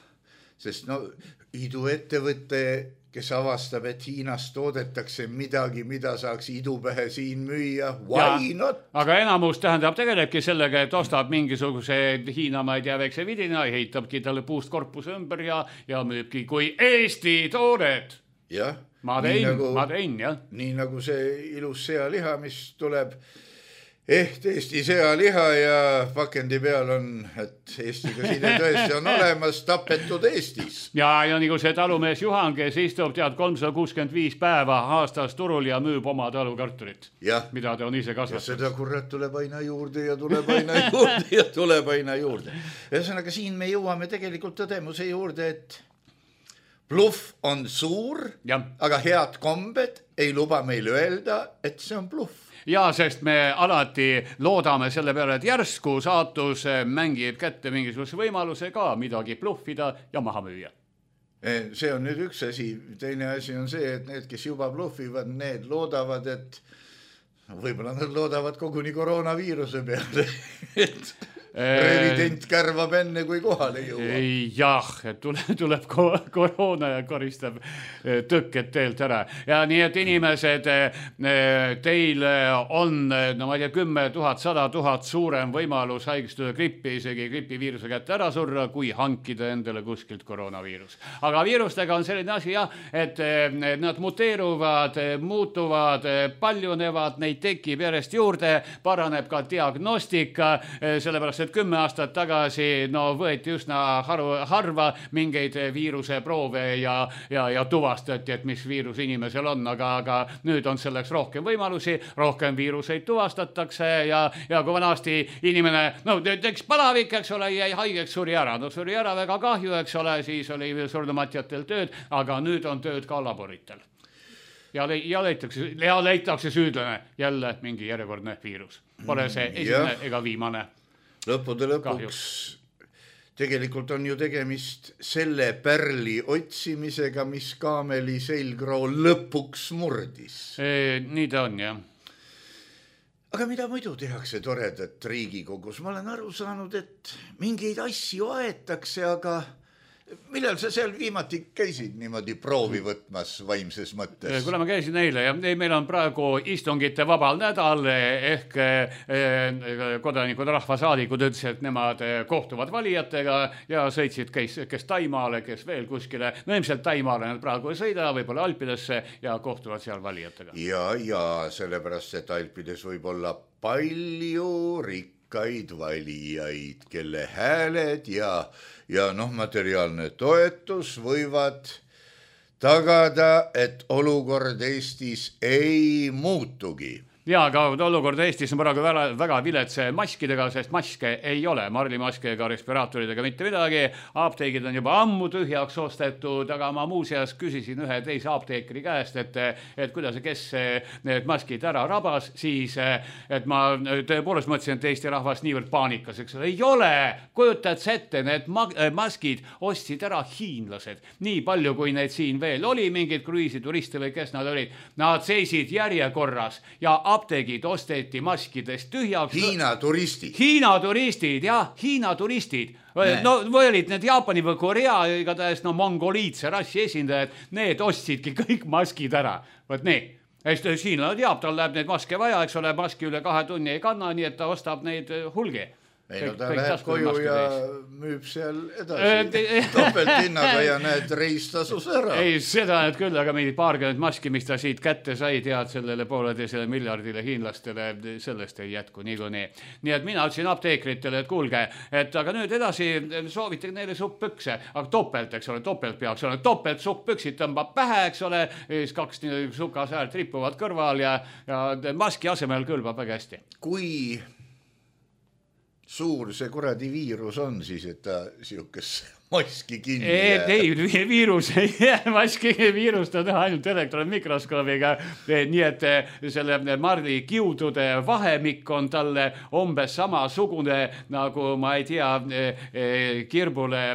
Sest no iduettevõtte kes avastab, et Hiinas toodetakse midagi, mida saaks idupähe siin müüa. Why not? Aga enamus tähendab tegelebki sellega, et ostab mingisuguse Hiina, ma ei tea, väikse vidina, heitabki talle puust korpuse ümber ja, ja müübki kui Eesti toodet. Jah. Ma tein, nagu, ma tein, jah. Nii nagu see ilus sealiha, mis tuleb eht Eesti sealiha ja pakendi peal on, et Eestiga side tõesti on olemas, tapetud Eestis. Ja, ja nagu see talumees Juhan, kes istub tead kolmsada kuuskümmend viis päeva aastas turul ja müüb oma talukartulit, mida ta on ise kasvatanud. Ja seda kurat tuleb aina juurde ja tuleb aina juurde ja tuleb aina juurde. Ühesõnaga, siin me jõuame tegelikult tõdemuse juurde, et bluff on suur, ja. Aga head kombed ei luba meil öelda, et see on bluff. Ja, sest me alati loodame selle peale, et järsku saatus mängib kätte mingisuguse võimaluse ka midagi bluffida ja maha müüa. See on nüüd üks asi. Teine asi on see, et need, kes juba bluffivad, need loodavad, et võib-olla nad loodavad koguni koroonaviiruse peale, et revident kärvab enne, kui kohale jõuab. Jah, et tuleb, tuleb koroona ja koristab tõkked teelt ära. Ja nii, et inimesed, teil on, no ma ei tea, kümme tuhat, sada tuhat suurem võimalus haigestuda grippi, isegi gripiviiruse kätte ära surra, kui hankida endale kuskilt koroonaviirus. Aga viirustega on selline asi, jah, et nad muteeruvad, muutuvad, paljunevad, neid tekib järjest juurde, paraneb ka diagnostika, sellepärast, et kümme aastat tagasi no, võeti üsna haru, harva mingeid viiruse proove ja, ja, ja tuvastati, et mis viirus inimesel on, aga, aga nüüd on selleks rohkem võimalusi, rohkem viiruseid tuvastatakse ja, ja kui vanasti inimene, no teks palavik, eks ole, jäi haigeks, suri ära, no suri ära väga kahju, eks ole, siis oli surnumatjatel tööd, aga nüüd on tööd ka laboritel. Ja, le- ja, leitakse, ja leitakse süüdlane jälle mingi järjekordne viirus. Pole see esimene ja. Ega viimane. Lõppude lõpuks kahjuks. Tegelikult on ju tegemist selle pärli otsimisega, mis kaameli selgroo lõpuks murdis. E, nii ta on, jah. Aga mida muidu tehakse toredat Riigikogus? Ma olen aru saanud, et mingeid asju aetakse, aga millal sa seal viimati käisid niimoodi proovi võtmas vaimses mõttes? Kuna ma käisin eile ja meil on praegu istungite vabal nädal ehk kodanikud, rahvasaadikud ütlesid, et nemad kohtuvad valijatega ja sõitsid kes, kes Taimaale, kes veel kuskile. No ilmselt Taimaale nad praegu ei sõida, võib-olla Alpidesse ja kohtuvad seal valijatega. Ja, ja sellepärast, et Alpides võib olla palju rikkaid valijaid, kelle hääled ja ja noh, materiaalne toetus võivad tagada, et olukord Eestis ei muutugi. Ja, aga olukord Eestis on praegu väga, väga viletse maskidega, sest maske ei ole, marlimaske ega respiraatoridega mitte midagi. Apteegid on juba ammu tühjaks ostetud, aga ma muuseas küsisin ühe teise apteekri käest, et, et kuidas, kes need maskid ära rabas, siis et ma tõepoolest mõtlesin, et Eesti rahvas niivõrd paanikas, eks ei ole, kujutad ette, need maskid ostsid ära hiinlased. Nii palju, kui neid siin veel oli, mingid kruiisituriste või kes nad olid, nad seisid järjekorras ja apteegid osteti maskidest tühjaks. Hiina turistid. Hiina turistid, jah, Hiina turistid. Nee. No või olid need Jaapani või Korea, igatahes no mongoliitse rassi esindajad, need ostsidki kõik maskid ära. Võt nii, hiinlane teab, tal läheb neid maske vaja, eks ole, maski üle kahe tunni ei kanna, nii et ta ostab neid hulgi. ei no ta läheb koju ja müüb seal edasi topelt hinnaga ja need reistasus ära. Ei, seda need küll, aga mingid paarkümmend maski, mis ta siit kätte sai, tead sellele pooleteisele miljardile hiinlastele, sellest ei jätku niikuinii. Nii et mina ütlesin apteekritele, et kuulge, et aga nüüd edasi soovitage neile supppükse, aga topelt, eks ole, topelt peaks ole, topelt supppüksid tõmbab pähe, eks ole, siis kaks sukasäärt ripuvad kõrval ja, ja maski asemel kõlbab väga hästi. Kui suur see kuradi viirus on siis, et ta siukes maski kinni jääb? Ei, viirus ei jää, maski viirust on ainult elektronmikroskoobiga, nii et selle marli kiudude vahemik on talle umbes samasugune, nagu ma ei tea, kirbule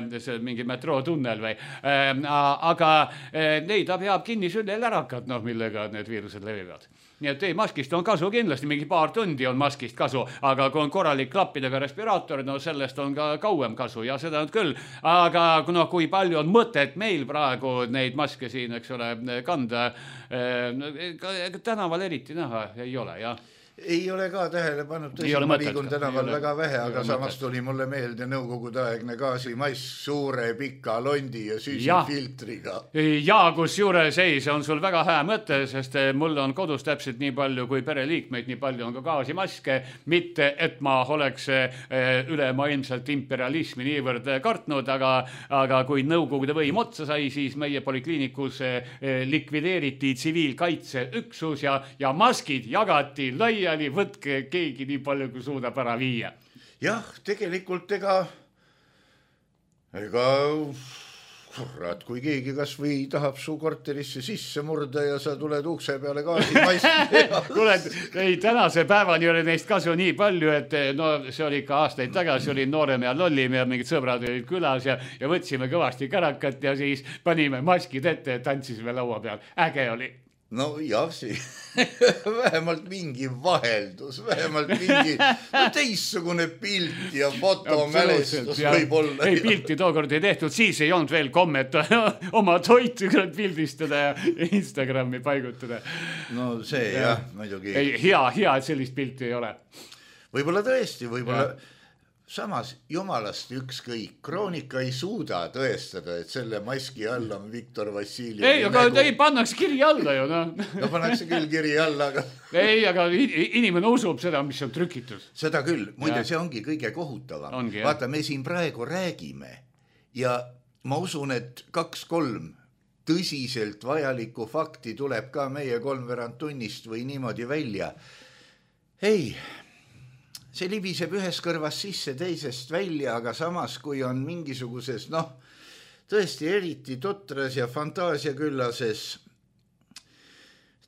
mingi metrootunnel või. Aga neid ta peab kinni sünnelärакad, noh, millega need viirused levivad. Nii et ei, maskist on kasu kindlasti, mingi paar tundi on maskist kasu, aga kui on korralik klappidega respiraator, no sellest on ka kauem kasu ja seda on küll. Aga no, kui palju on mõtet meil praegu neid maske siin, eks ole, kanda, tänaval eriti näha ei ole, jah. Ei ole ka tähele pannud, tõsi, ma liigun tänaval väga vähe, aga samas tuli mulle meelde nõukogudeaegne gaasimass suure pika londi ja süsifiltriga. Ja kus juures ei, see on sul väga hää mõte, sest mul on kodus täpselt nii palju kui pereliikmeid, nii palju on ka gaasimaske, mitte et ma oleks ülemaailmselt imperialismi niivõrd kartnud, aga, aga kui nõukogude võim otsa sai, siis meie polikliinikus likvideeriti tsiviilkaitseüksus ja, ja maskid jagati laia võtke keegi nii palju, kui suudab ära viia. Jah, tegelikult ega, ega, kurat, kui keegi kas või tahab su korterisse sisse murda ja sa tuled ukse peale gaasimaski. Kuule, ei, tänase päevani oli neist kasu nii palju, et no see oli ikka aastaid tagasi, oli noorem ja lollim ja mingid sõbrad olid külas ja, ja võtsime kõvasti kärakat ja siis panime maskid ette ja tantsisime laua peal. Äge oli. No jah, see vähemalt mingi vaheldus, vähemalt mingi no, teissugune pilt ja fotomälestus võib olla. Ei, pilti tookord ei tehtud, siis ei olnud veel kommet oma toitu pildistada ja Instagrami paigutada. No see ja. Jah, muidugi. Ei, hea, hea, et sellist pilti ei ole. Võib-olla tõesti, võib-olla... Ja. Samas jumalast ükskõik, kroonika ei suuda tõestada, et selle maski alla on Viktor Vassiljev. Ei, aga nägu... ei pannakse kiri alla ju, no. No pannakse küll kiri alla, aga... Ei, aga inimene usub seda, mis on trükitud. Seda küll, muide, see ongi kõige kohutavam. Ongi, vaata, me siin praegu räägime ja ma usun, et kaks-kolm tõsiselt vajalikku fakti tuleb ka meie kolmveerand tunnist või niimoodi välja. Ei... See libiseb ühes kõrvas sisse teisest välja, aga samas kui on mingisuguses, noh, tõesti eriti totras ja fantaasia küllases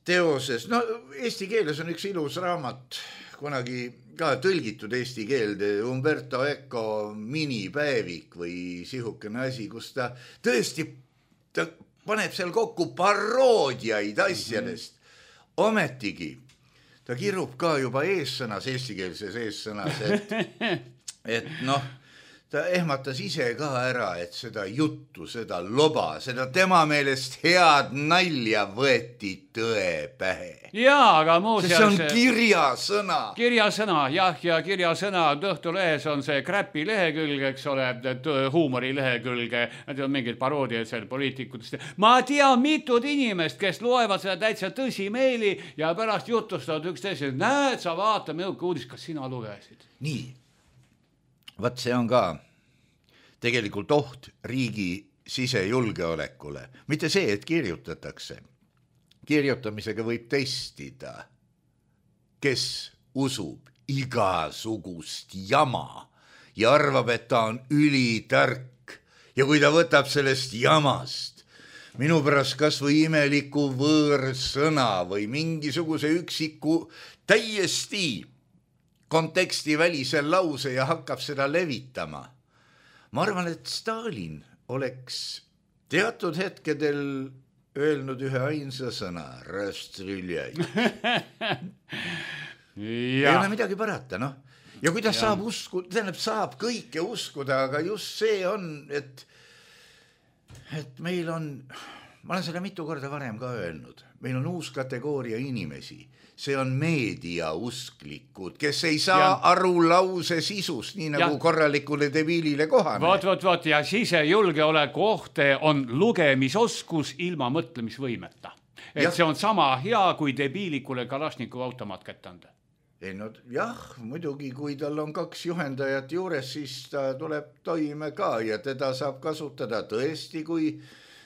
teoses. No, eesti keeles on üks ilus raamat, kunagi ka tõlgitud eesti keelde, Umberto Eco minipäevik või sihukene asi, kus ta tõesti ta paneb seal kokku paroodiaid asjadest. Ometigi ta kirub ka juba eessõnas, eestikeelses eessõnas, et, et noh, ta ehmatas ise ka ära, et seda juttu, seda loba, seda tema meelest head nalja võeti tõe pähe. Jaa, aga muuseas... See on kirjasõna. Kirjasõna, jah, ja kirjasõna Õhtulehes on see kräpi lehekülg, eks ole, huumori lehekülg, need on mingid paroodiad seal poliitikutest. Ma tean mitud inimest, kes loevad seda täitsa tõsimeeli ja pärast jutustavad üks teise, näed, sa vaata, milline uudis, kas sina lugesid? Nii. Vaat see on ka tegelikult oht riigi sisejulgeolekule. Mitte see, et kirjutatakse. Kirjutamisega võib testida, kes usub igasugust jama ja arvab, et ta on ülitark. Ja kui ta võtab sellest jamast, minu pärast kas või imeliku võõrsõna või mingisuguse üksiku täiesti konteksti välisel lause ja hakkab seda levitama. Ma arvan, et Stalin oleks teatud hetkedel öelnud ühe ainsa sõna, rastriljaid. Ei ole midagi parata, noh. Ja kui ta ja. saab uskuda, tähendab, saab kõike uskuda, aga just see on, et, et meil on ma olen selle mitu korda varem ka öelnud, meil on uus kategooria inimesi, see on meediausklikud, kes ei saa ja. aru lause sisust, nii nagu ja. korralikule debiilile kohane. Vot, vot, vot ja sisejulgeoleku ohte on lugemisoskus ilma mõtlemisvõimeta. Et ja. see on sama hea, kui debiilikule Kalašnikov automaat kätte anda. Ei, no jah, muidugi, kui tal on kaks juhendajat juures, siis ta tuleb toime ka ja teda saab kasutada tõesti, kui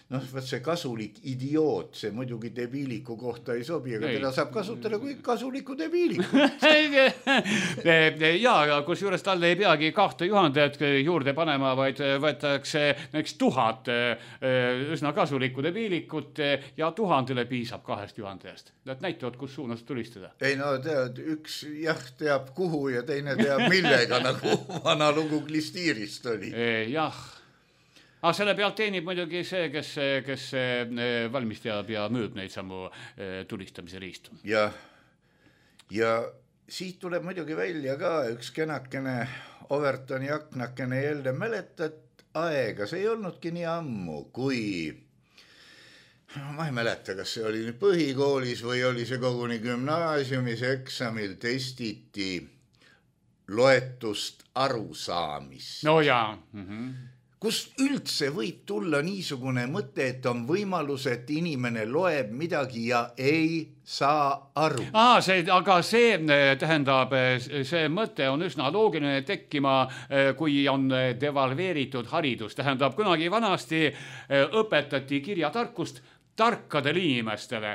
noh, võt see kasulik idioot, see muidugi debiiliku kohta ei sobi, aga ei. teda saab kasutada kui kasuliku debiiliku. ja, kus juures talle ei peagi kahte juhendajat juurde panema, vaid võetakse näiteks tuhat üsna kasulikku debiilikut ja tuhandele piisab kahest juhendajast. Nad näitavad, kus suunas tulistada. Ei no tead, üks jah teab kuhu ja teine teab millega, nagu vana lugu Klistiirist oli. Jah. Aga selle pealt teenib muidugi see, kes, kes valmis teab ja müüb neid samu tulistamise riistu. Ja, ja siit tuleb muidugi välja ka üks kenakene Overtoni aknakene jälde mäletad aega. See ei olnudki nii ammu, kui ma ei mäleta, kas see oli nüüd põhikoolis või oli see koguni gümnaasiumis eksamil testiti loetust arusaamist. No jaa. Mhm. Kus üldse võib tulla niisugune mõte, et on võimalus, et inimene loeb midagi ja ei saa aru. Aa, see, aga see tähendab, see mõte on üsna loogiline tekkima, kui on devalveeritud haridus. Tähendab, kunagi vanasti õpetati kirjatarkust tarkadele inimestele.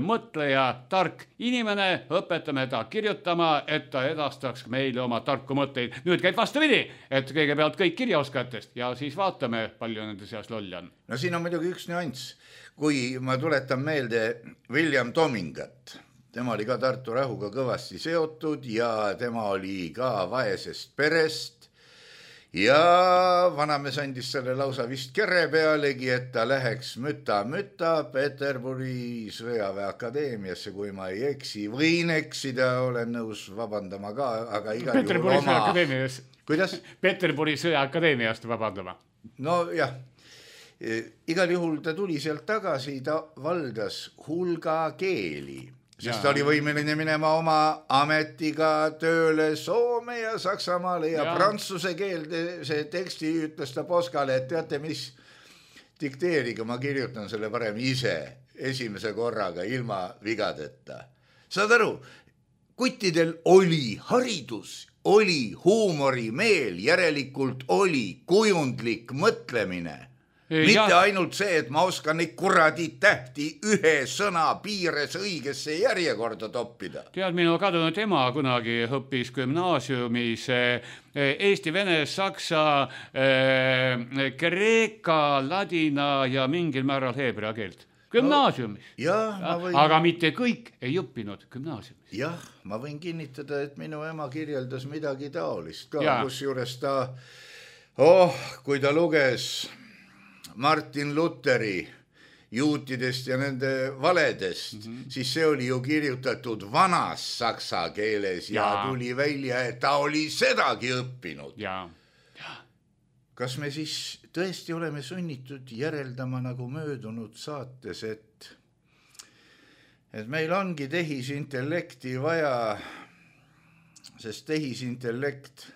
Mõtleja, tark inimene, õpetame ta kirjutama, et ta edastaks meile oma tarku mõtteid. Nüüd käib vastupidi, et kõigepealt kõik kirjaoskatest ja siis vaatame, palju nende seas loll on. No siin on muidugi üks nüanss. Kui ma tuletan meelde William Tomingat, tema oli ka Tartu rahuga kõvasti seotud ja tema oli ka vaesest perest. Ja vanamees andis selle lausa vist kere pealegi, et ta läheks müta-müta Peterburi sõjaväeakadeemiasse, kui ma ei eksi. Võin eksida, olen nõus vabandama ka, aga igal Peterburi juhul oma... Kuidas? Peterburi sõjaakadeemiast vabandama. No jah, igal juhul ta tuli sealt tagasi, ta valdas hulga keeli. Sest ta oli võimeline minema oma ametiga tööle Soome ja Saksamaale ja, ja. prantsuse keelde see teksti ütles ta Poskale, et teate mis, dikteeriga ma kirjutan selle parem ise esimese korraga ilma vigadeta. Saad aru, kuttidel oli haridus, oli huumorimeel, järelikult oli kujundlik mõtlemine. Mitte ja. ainult see, et ma oskan neid kuradi tähti ühe sõna piires õigesse järjekorda toppida. Tead, minu kadunud ema kunagi õppis gümnaasiumis eesti, vene, saksa, kreeka, ladina ja mingil määral heebrea keelt. Gümnaasiumis. No, ja, ma võin... Aga mitte kõik ei õppinud gümnaasiumis. Jah, ma võin kinnitada, et minu ema kirjeldas midagi taolist ka, kus juures ta, oh, kui ta luges Martin Lutheri juutidest ja nende valedest, mm-hmm. siis see oli ju kirjutatud vanas saksa keeles ja, ja tuli välja, et ta oli sedagi õppinud. Ja. Ja. Kas me siis tõesti oleme sunnitud järeldama nagu möödunud saates, et, et meil ongi tehisintellekti vaja, sest tehisintellekt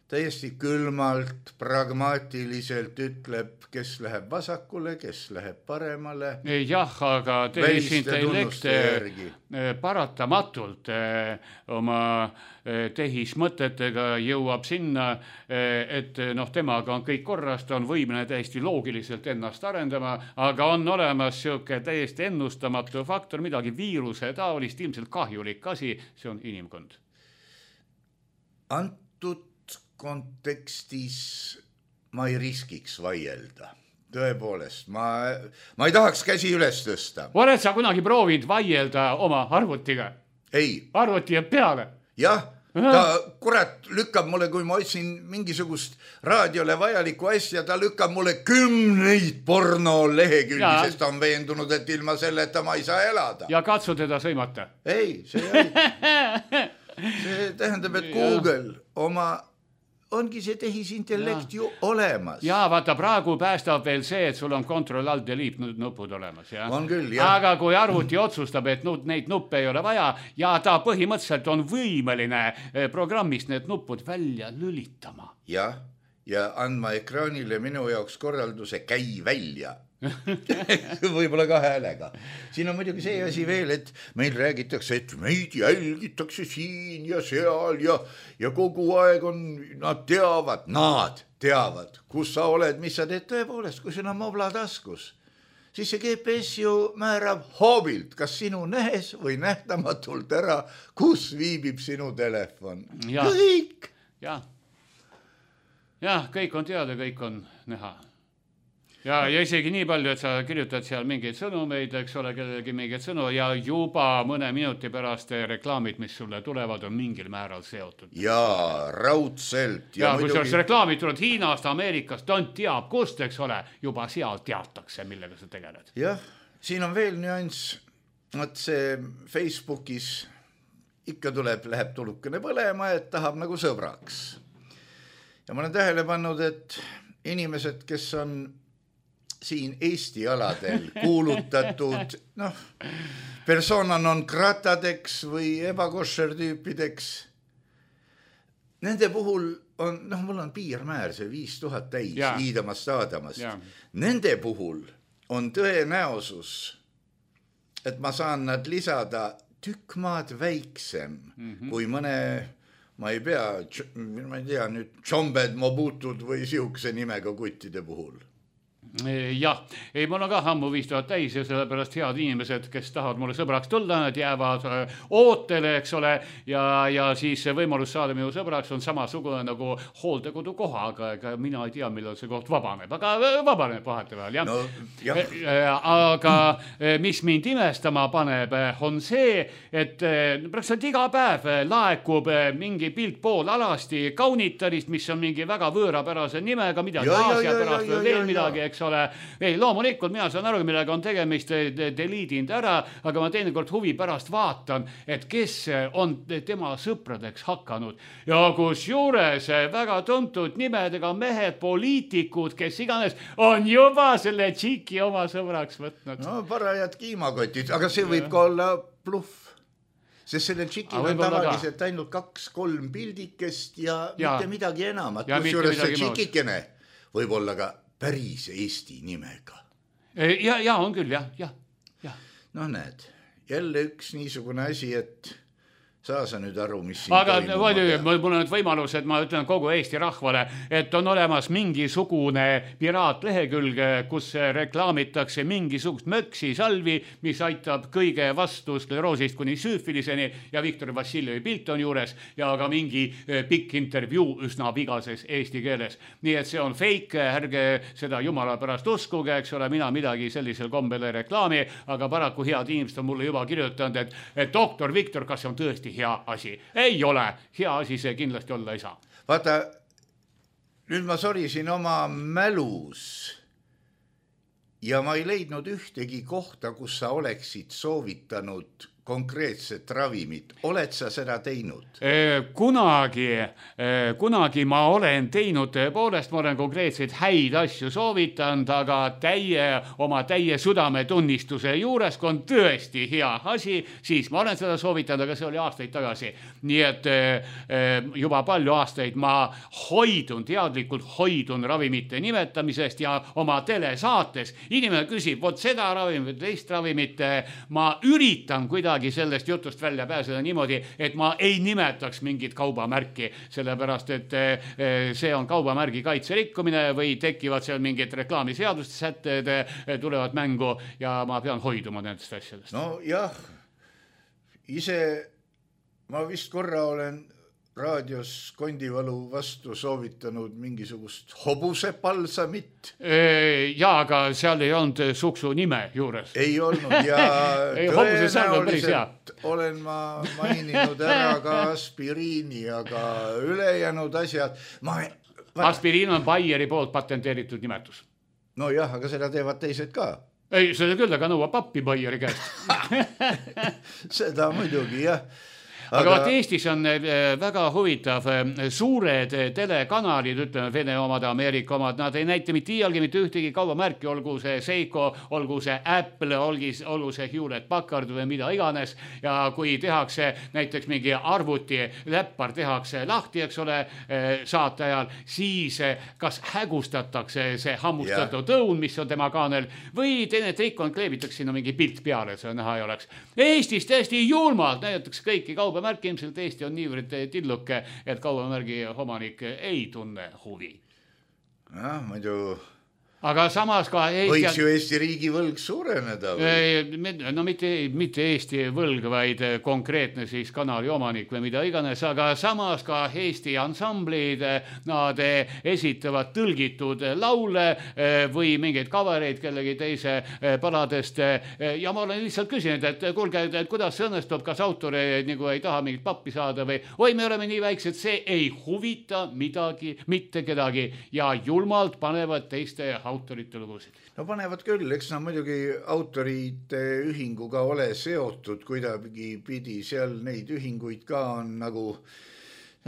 täiesti külmalt, pragmaatiliselt ütleb, kes läheb vasakule, kes läheb paremale. Jah, aga tehisintellekt paratamatult oma tehismõtetega jõuab sinna, et noh, temaga on kõik korras, ta on võimeline täiesti loogiliselt ennast arendama, aga on olemas siuke täiesti ennustamatu faktor, midagi viiruse taolist, ilmselt kahjulik asi, see on inimkond. Antud kontekstis ma ei riskiks vaielda. Tõepoolest, ma, ma ei tahaks käsi üles tõsta. Oled sa kunagi proovinud vaielda oma arvutiga? Ei. Arvuti jääb peale? Jah, ta kurat lükkab mulle, kui ma otsin mingisugust raadiole vajalikku asja, ta lükkab mulle kümneid porno lehekülgi, sest ta on veendunud, et ilma selleta ma ei saa elada. Ja katsu teda sõimata? Ei, see ei. See tähendab, et Google oma ongi see tehisintellekt ja. ju olemas. Ja vaata, praegu päästab veel see, et sul on control alt delete nupud olemas. Ja? On küll, jah. Aga kui arvuti otsustab, et nud, neid nuppe ei ole vaja ja ta põhimõtteliselt on võimeline programmist need nupud välja lülitama. Jah, ja andma ekraanile minu jaoks korralduse käi välja. Võib-olla ka häälega. Siin on muidugi see asi veel, et meil räägitakse, et meid jälgitakse siin ja seal ja, ja kogu aeg on, nad teavad, nad teavad, kus sa oled, mis sa teed tõepoolest, kui sul on mobla taskus. Siis see G P S ju määrab hoobilt, kas sinu nähes või nähtamatult ära, kus viibib sinu telefon. Ja. Kõik. Ja. ja, kõik on teada, kõik on näha. Ja, ja isegi nii palju, et sa kirjutad seal mingeid sõnumeid, eks ole, kellelegi mingeid sõnu ja juba mõne minuti pärast reklaamid, mis sulle tulevad, on mingil määral seotud. Ja, raudselt. Ja, ja kui muidugi... see reklaamid tulevad Hiinast, Ameerikast, on teab kust, eks ole, juba seal teatakse, millega sa tegeled. Jah, siin on veel nüanss, et see Facebookis ikka tuleb, läheb tulukene põlema, et tahab nagu sõbraks. Ja ma olen tähele pannud, et inimesed, kes on siin Eesti aladel kuulutatud, noh, persona non gratadeks või ebakošer tüüpideks. Nende puhul on, noh, mul on piirmäär, see viis tuhat täis ja. Iidamast Aadamast. Ja. Nende puhul on tõenäosus, et ma saan nad lisada tükk maad väiksem mm-hmm. kui mõne, ma ei pea, ma ei tea nüüd, Tšombed, Mobutud või siukse nimega kuttide puhul. Jah, ei, mul on ka ammu viis tuhat täis ja sellepärast head inimesed, kes tahavad mulle sõbraks tulla, nad jäävad ootele, eks ole, ja, ja siis võimalus saada minu sõbraks on samasugune nagu hooldekodu kohaga, aga mina ei tea, millal see koht vabaneb, aga vabaneb vahetevahel, jah. No, jah. Aga mis mind imestama paneb, on see, et praktiliselt iga päev laekub mingi pilt pool alasti kaunitarist, mis on mingi väga võõrapärase nimega, midagi Aasia pärast või veel midagi, eks ole. Ei, loomulikult mina saan aru, millega on tegemist, deliidinud ära, aga ma teinekord huvi pärast vaatan, et kes on tema sõpradeks hakanud. Ja kus juures väga tuntud nimedega mehed, poliitikud, kes iganes on juba selle tšiki oma sõbraks võtnud. No parajad kiimakotid, aga see võib ka olla bluff. Sest selle tšikil on tavaliselt ainult kaks-kolm pildikest ja, ja mitte midagi enamat. Kus juures see tšikikene võib olla ka päris Eesti nimega. Ja, ja on küll, jah, jah, jah. No näed, jälle üks niisugune asi, et saa sa nüüd aru, mis siin aga toimuma. Mul on nüüd võimalus, et ma ütlen kogu Eesti rahvale, et on olemas mingisugune piraatlehekülg, kus reklaamitakse mingisugust möksi salvi, mis aitab kõige vastu skleroosist kuni süüfiliseni ja Viktor Vassiljevi pilt on juures ja ka mingi pikk intervjuu üsna vigases eesti keeles. Nii et see on fake, ärge seda jumala pärast uskuge, eks ole, mina midagi sellisel kombele reklaami, aga paraku head inimesed on mulle juba kirjutanud, et, et doktor Viktor, kas see on tõesti hea asi? Ei ole. Hea asi see kindlasti olla ei saa. Vaata, nüüd ma sorisin oma mälus ja ma ei leidnud ühtegi kohta, kus sa oleksid soovitanud konkreetset ravimit. Oled sa seda teinud? Kunagi, kunagi ma olen teinud, tõepoolest ma olen konkreetseid häid asju soovitanud, aga täie, oma täie südametunnistuse juures, kui on tõesti hea asi, siis ma olen seda soovitanud, aga see oli aastaid tagasi. Nii et juba palju aastaid ma hoidun, teadlikult hoidun ravimite nimetamisest ja oma telesaates inimene küsib, vot seda ravimit, teist ravimit, ma üritan kuidagi sellest jutust välja pääseda niimoodi, et ma ei nimetaks mingit kaubamärki, sellepärast, et see on kaubamärgi kaitserikkumine või tekivad seal mingid reklaamiseaduste sätted, tulevad mängu ja ma pean hoiduma nendest asjadest. No jah, ise ma vist korra olen raadios kondivalu vastu soovitanud mingisugust hobusepalsamit. Ja, aga seal ei olnud suksu nime juures. Ei olnud ja ei, tõenäoliselt olen ma maininud ära ka aspiriini, aga ülejäänud asjad... Ma... Aspiriin on Bayeri poolt patenteeritud nimetus. No jah, aga seda teevad teised ka. Ei, seda küll, aga nõuab pappi Bayeri käest. Seda muidugi, jah. aga, aga vaat Eestis on väga huvitav, suured telekanalid, ütleme Vene omad, Ameerika omad, nad ei näita mitte iialgi mitte ühtegi kaubamärki, olgu see Seiko, olgu see Apple, olgu see Hewlett Packard või mida iganes, ja kui tehakse näiteks mingi arvuti läppar tehakse lahti, eks ole, saate ajal, siis kas hägustatakse see hammustatud yeah. õun, mis on tema kaanel, või teine trikk on, kleebitakse sinna mingi pilt peale, see näha ei oleks. Eestis täiesti julmalt näidatakse kõiki kaubamärki, ilmselt Eesti on niivõrd tilluke, et kaubamärgi omanik ei tunne huvi. jah, muidu aga samas ka Eesti... võiks ju Eesti riigi võlg suureneda või? No mitte, mitte Eesti võlg, vaid konkreetne siis kanali omanik või mida iganes, aga samas ka Eesti ansamblid, nad esitavad tõlgitud laule või mingeid kavareid kellegi teise paladest ja ma olen lihtsalt küsinud, et kuulge, et kuidas see õnnestub, kas autor nagu ei taha mingit pappi saada või oi, me oleme nii väiksed, see ei huvita midagi, mitte kedagi ja julmalt panevad teiste autorite lugusid. No panevad küll, eks nad muidugi autorite ühinguga ole seotud kuidagi pidi, seal neid ühinguid ka on nagu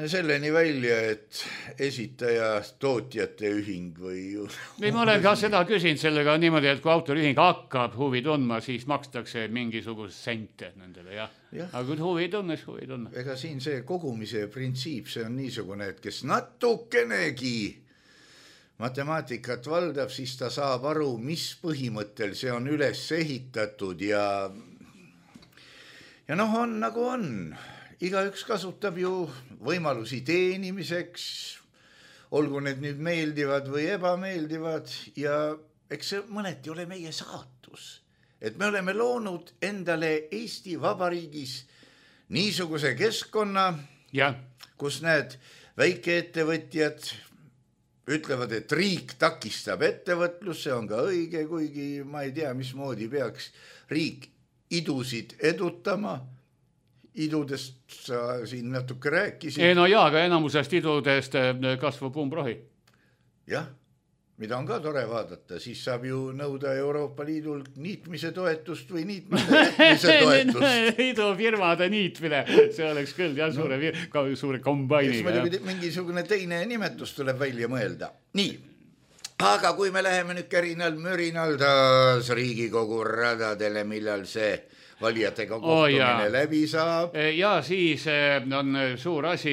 selleni välja, et esitaja tootjate ühing või... või ma olen ka seda küsinud sellega niimoodi, et kui autoriühing hakkab huvi tundma, siis makstakse mingisugust sente nendele, jah. Ja. Aga kui huvi tunnes, huvi tunne. Ega siin see kogumise printsiip, see on niisugune, et kes natukenegi matemaatikat valdab, siis ta saab aru, mis põhimõttel see on üles ehitatud ja ja noh, on nagu on. Igaüks kasutab ju võimalusi teenimiseks, olgu need nüüd meeldivad või ebameeldivad ja eks see mõneti ole meie saatus, et me oleme loonud endale Eesti Vabariigis niisuguse keskkonna, ja. kus need väikeettevõtjad ütlevad, et riik takistab ettevõtlus, see on ka õige, kuigi ma ei tea, mismoodi peaks riik idusid edutama. Idudest sa siin natuke rääkisid. Ei, no jaa, aga enamusest idudest kasvab umbrohi. Jah, mida on ka tore vaadata, siis saab ju nõuda Euroopa Liidult niitmise toetust või niitmise toetust. Idufirmade niitmine, see oleks küll jah, suure, no. suure kombainiga. Mingisugune teine nimetus tuleb välja mõelda. Nii, aga kui me läheme nüüd kärinal mürinal taas Riigikogu radadele, millal see valijatega kohtumine oh, läbi saab. Ja siis on suur asi,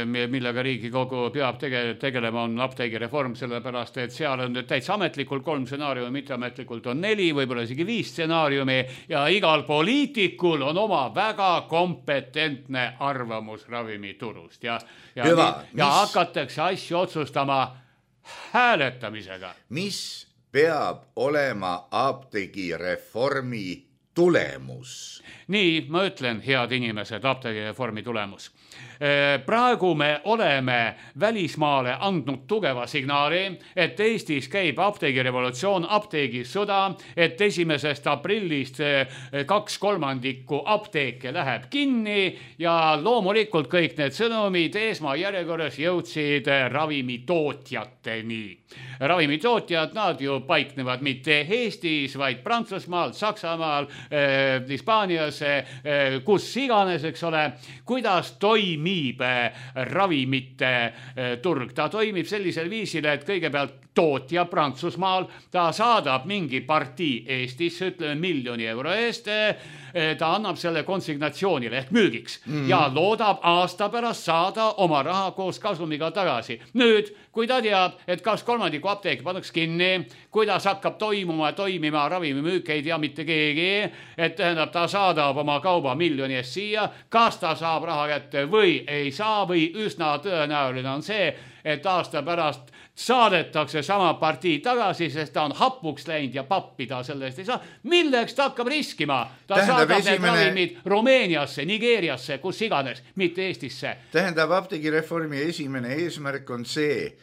millega Riigikogu peab tege- tegelema, on apteegireform, sellepärast, et seal on täitsa ametlikult kolm stsenaariumi, mitteametlikult on neli, võib-olla isegi viis stsenaariumi ja igal poliitikul on oma väga kompetentne arvamus ravimiturust ja, ja, Hüva, ja mis... hakatakse asju otsustama hääletamisega. Mis peab olema apteegireformi tulemus? Nii, ma ütlen, head inimesed, apteegireformi tulemus. Praegu me oleme välismaale andnud tugeva signaali, et Eestis käib apteegirevolutsioon, apteegisõda, et esimesest aprillist kaks kolmandikku apteeke läheb kinni ja loomulikult kõik need sõnumid esmajärjekorras jõudsid ravimitootjateni. Ravimitootjad, nad ju paiknevad mitte Eestis, vaid Prantsusmaal, Saksamaal, eh, Hispaanias, eh, kus iganes, eks ole, kuidas toimib eh, ravimite eh, turg. Ta toimib sellisel viisil, et kõigepealt tootja Prantsusmaal, ta saadab mingi partii Eestisse, ütleme miljoni euro eest, ta annab selle konsignatsioonile ehk müügiks mm. ja loodab aasta pärast saada oma raha koos kasumiga tagasi. Nüüd, kui ta teab, et kas kolmandiku apteeki pannaks kinni, kuidas hakkab toimuma, toimima ravimimüük, ei tea mitte keegi, et tähendab, ta saadab oma kauba miljoni eest siia, kas ta saab raha kätte või ei saa või üsna tõenäoline on see, et aasta pärast saadetakse sama partii tagasi, sest ta on hapuks läinud ja pappi ta sellest ei saa. Milleks ta hakkab riskima? Ta tähendab saadab esimene... need ravimid Rumeeniasse, Nigeeriasse, kus iganes, mitte Eestisse. Tähendab, apteegireformi esimene eesmärk on see,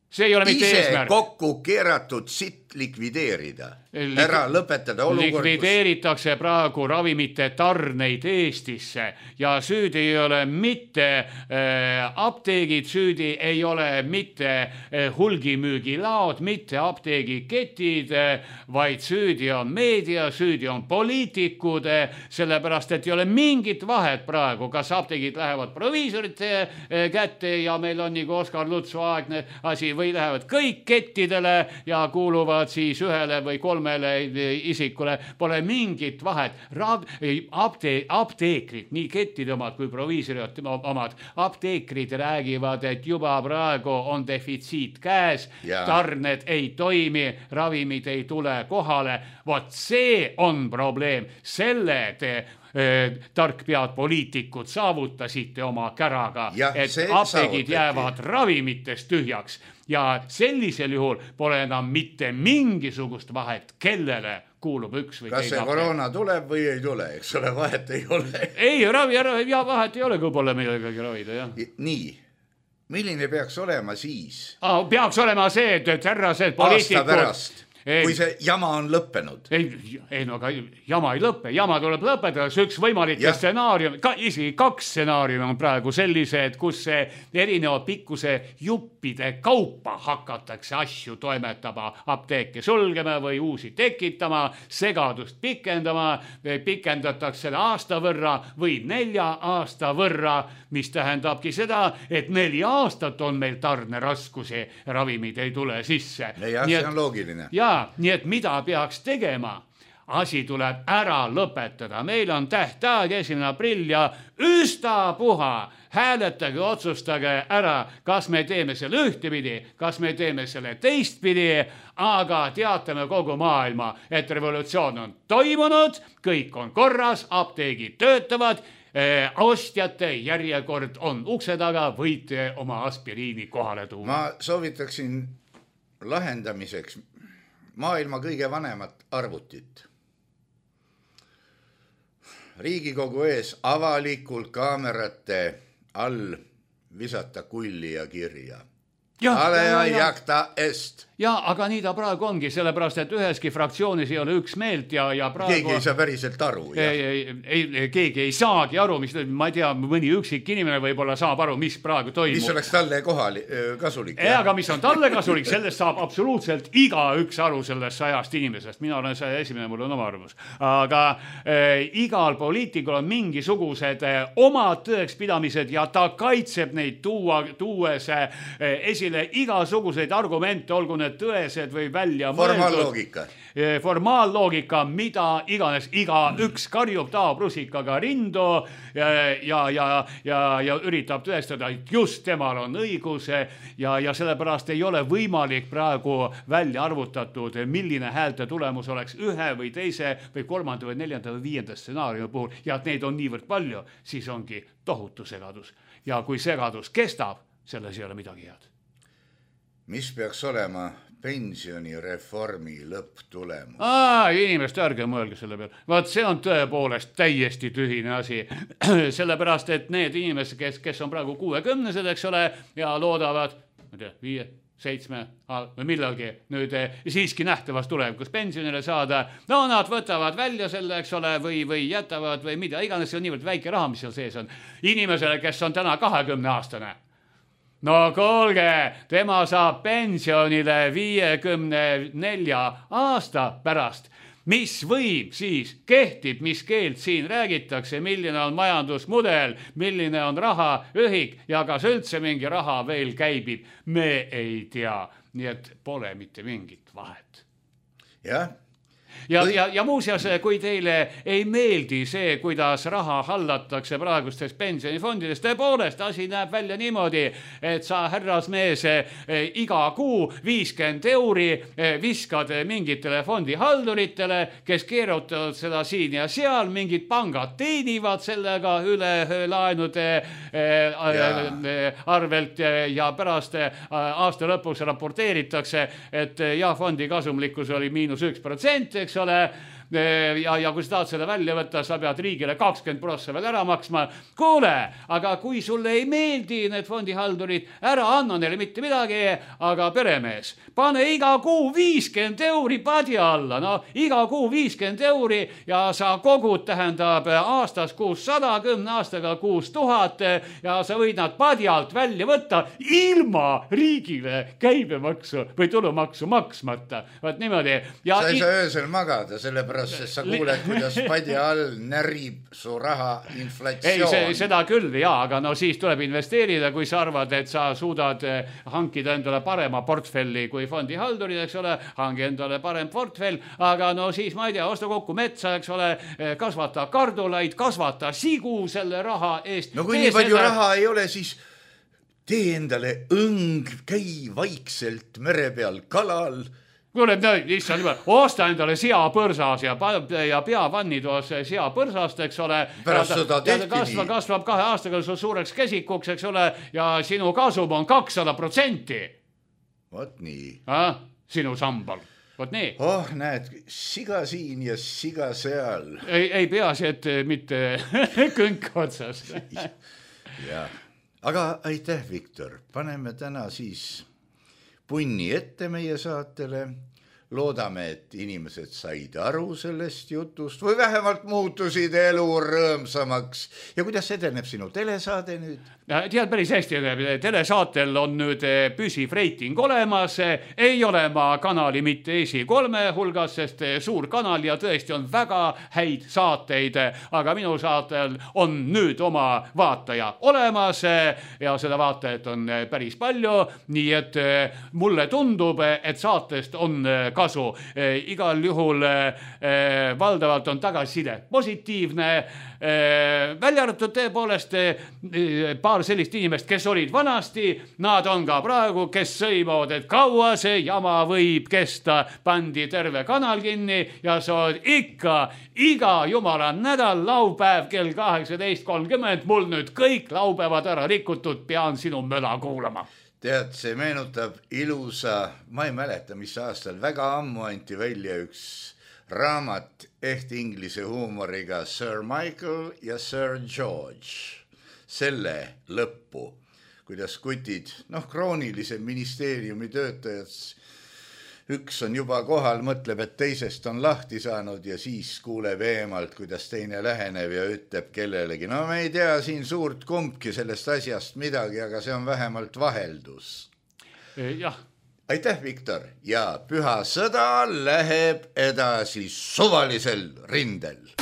see ei ole mitte ise eesmärk. kokku keeratud sitt likvideerida, ära lõpetada olukord, likvideeritakse praegu ravimite tarneid Eestisse ja süüdi ei ole mitte äh, apteegid, süüdi ei ole mitte äh, hulgimüügilaod, mitte apteegiketid, äh, vaid süüdi on meedia, süüdi on poliitikud, äh, sellepärast, et ei ole mingit vahet praegu, kas apteegid lähevad proviisorite äh, kätte ja meil on nagu Oskar Lutsu aegne asi või lähevad kõik kettidele ja kuuluvad siis ühele või kolmele isikule, pole mingit vahet. Rav, apte, apteekrid, nii kettide omad kui proviisorid omad, apteekrid räägivad, et juba praegu on defitsiit käes, ja. tarned ei toimi, ravimid ei tule kohale. Vot see on probleem, selle te tarkpead poliitikud saavutasite oma käraga, ja et apteegid jäävad ravimitest tühjaks ja sellisel juhul pole enam mitte mingisugust vahet, kellele kuulub üks või kas see koroona tuleb või ei tule, eks ole, vahet ei ole. ei, ravi, ravi, ja vahet ei ole, kui pole millegagi ravida, jah. Nii, milline peaks olema siis? Ah, peaks olema see, et, et härrased poliitikud... aasta pärast. Ei, kui see jama on lõppenud. Ei, ei no aga jama ei lõppe, jama tuleb lõpetada, see üks võimalik stsenaarium, ka, isegi kaks stsenaariumi on praegu sellised, kus see erineva pikkuse juppide kaupa hakatakse asju toimetama, apteeke sulgema või uusi tekitama, segadust pikendama, pikendatakse selle aasta võrra või nelja aasta võrra, mis tähendabki seda, et neli aastat on meil tarneraskusi, ravimid ei tule sisse. Ja see on loogiline. Ja nii et mida peaks tegema? Asi tuleb ära lõpetada. Meil on tähtaeg esimene aprill ja üstapuha hääletage, otsustage ära, kas me teeme selle ühtepidi, kas me teeme selle teistpidi, aga teatame kogu maailma, et revolutsioon on toimunud, kõik on korras, apteegid töötavad, eh, ostjate järjekord on ukse taga, võite oma aspiriini kohale tuua. Ma soovitaksin lahendamiseks maailma kõige vanemat arvutit. Riigikogu ees avalikult kaamerate all visata kulli ja kirja. Alea jacta est. Ja, aga nii ta praegu ongi, sellepärast, et üheski fraktsioonis ei ole üks meelt ja, ja praegu... Keegi ei saa päriselt aru. Ei, ei, ei, keegi ei saagi aru, mis, ma ei tea, mõni üksik inimene võib-olla saab aru, mis praegu toimub. Mis oleks talle kohali, kasulik. Ja, aga mis on talle kasulik, sellest saab absoluutselt iga üks aru sellest sajast inimesest. Mina olen saja esimene, mul on oma arvus. Aga äh, igal poliitikul on mingisugused äh, omad tõekspidamised ja ta kaitseb neid tuua, tuues äh, esile igasuguseid argumente, olgu need tõesed või välja formaalloogika. Formaalloogika, mida iganes, iga üks karjub taob rusikaga rindu ja, ja, ja, ja, ja üritab tõestada, et just temal on õigus ja, ja sellepärast ei ole võimalik praegu välja arvutatud, milline häälte tulemus oleks ühe või teise või kolmanda või neljanda või viienda stsenaariumi puhul ja et neid on niivõrd palju, siis ongi tohutu segadus. Ja kui segadus kestab, selles ei ole midagi head. Mis peaks olema pensionireformi lõpptulemus? Aa, inimest ärge mõelge selle peale. Vaat see on tõepoolest täiesti tühine asi. Sellepärast, et need inimesed, kes, kes on praegu kuuekümnesed, eks ole, ja loodavad, ma tea, viie, seitsme või millalgi nüüd siiski nähtavast tulevikus pensionile saada. No nad võtavad välja selle, eks ole, või, või jätavad või mida iganes, see on niivõrd väike raha, mis seal sees on. Inimesele, kes on täna kahekümne aastane. No kuulge, tema saab pensionile viiekümne nelja aasta pärast. Mis võim siis kehtib, mis keelt siin räägitakse, milline on majandusmudel, milline on rahaühik ja kas üldse mingi raha veel käibib, me ei tea. Nii et pole mitte mingit vahet. Jah. Ja, ja, ja muuseas, kui teile ei meeldi see, kuidas raha hallatakse praegustes pensionifondides, tõepoolest asi näeb välja niimoodi, et sa härrasmees iga kuu viiskümmend euri viskad mingitele fondihalduritele, kes keerutavad seda siin ja seal, mingid pangad teenivad sellega üle laenude ja. arvelt ja pärast aasta lõpuks raporteeritakse, et ja fondi kasumlikkus oli miinus üks protsent, eks ole, ja, ja kui sa tahad seda välja võtta, sa pead riigile kakskümmend prossa veel ära maksma. Kuule, aga kui sulle ei meeldi need fondihaldurid, ära anna neile mitte midagi, aga peremees, pane iga kuu viiskümmend euri padja alla, no iga kuu viiskümmend euri ja sa kogud, tähendab aastas kuussada, kümne aastaga kuus tuhat ja sa võid nad padjalt välja võtta ilma riigile käibemaksu või tulumaksu maksmata. Vaat niimoodi. Ja sa ei saa öösel magada, sellepärast, et sa kuuled, kuidas padja all närib su raha inflatsioon. Ei, see, seda küll, jaa, aga no siis tuleb investeerida, kui sa arvad, et sa suudad hankida endale parema portfelli kui fondihaldurid, eks ole, hangi endale parem portfell, aga no siis ma ei tea, osta kokku metsa, eks ole, kasvata kardulaid, kasvata sigu selle raha eest. No kui nii palju seda... raha ei ole, siis tee endale õng, käi vaikselt mere peal kalal. Kuule, issand juba, osta endale seapõrsas ja, ja pea vannitoas seapõrsast, eks ole. Pärast seda tehti kasvab, kasvab kahe aastaga su suureks kesikuks, eks ole, ja sinu kasum on kakssada protsenti. Vot nii. Ah, sinu sambal. Vot nii. Oh, näed, siga siin ja siga seal. Ei, ei peasi, et mitte kõik otsas. Ja. Aga aitäh, Viktor. Paneme täna siis punni ette meie saatele. Loodame, et inimesed said aru sellest jutust või vähemalt muutusid elu rõõmsamaks. Ja kuidas edeneb sinu telesaade nüüd? Tead, päris hästi, telesaatel on nüüd püsiv reiting olemas, ei ole ma kanali mitte esi kolme hulgas, sest suur kanal ja tõesti on väga häid saateid, aga minu saatel on nüüd oma vaataja olemas ja seda vaatajat on päris palju, nii et mulle tundub, et saatest on kasu. Igal juhul valdavalt on tagasiside positiivne, välja arvatud tõepoolest paar sellist inimest, kes olid vanasti, nad on ka praegu, kes sõimavad, et kaua see jama võib kesta, pandi terve kanal kinni ja sa oled ikka iga jumala nädal laupäev kell kaheksateist kolmkümmend, mul nüüd kõik laupäevad ära rikutud, pean sinu möla kuulama. Tead, see meenutab ilusa, ma ei mäleta, mis aastal, väga ammu anti välja üks raamat ehk inglise huumoriga Sir Michael ja Sir George. Selle lõppu, kuidas kutid, noh, kroonilise ministeeriumi töötajad, üks on juba kohal, mõtleb, et teisest on lahti saanud ja siis kuuleb eemalt, kuidas teine läheneb ja ütleb kellelegi. No me ei tea siin suurt kumbki sellest asjast midagi, aga see on vähemalt vaheldus. Jah. Aitäh, Viktor, ja püha sõda läheb edasi suvalisel rindel.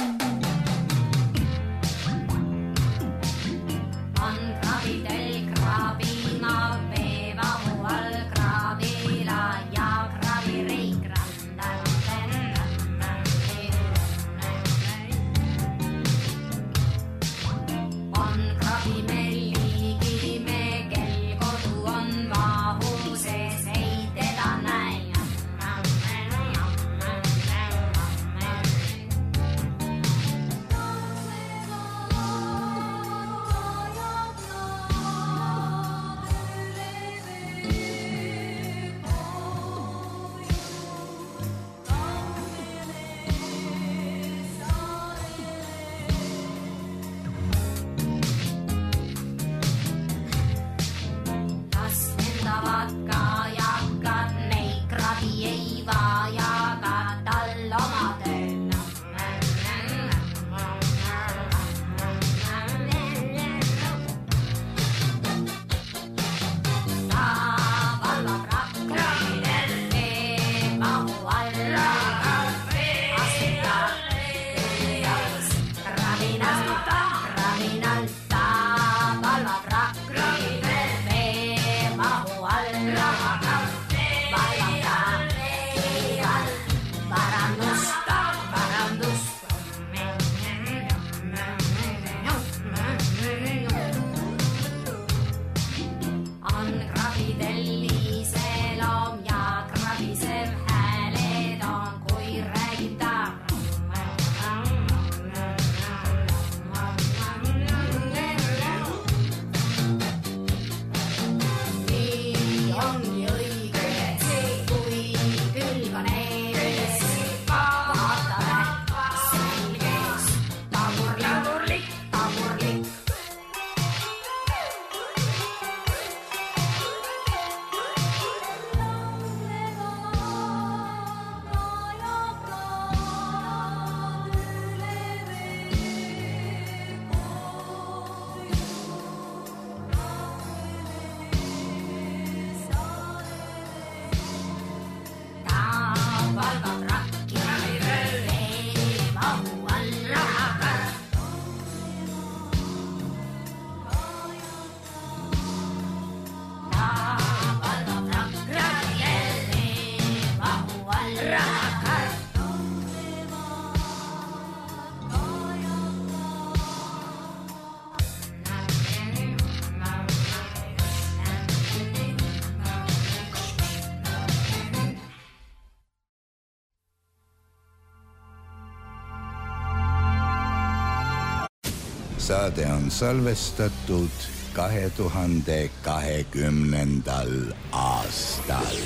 Saade on salvestatud kahe tuhande kahekümnendal aastal.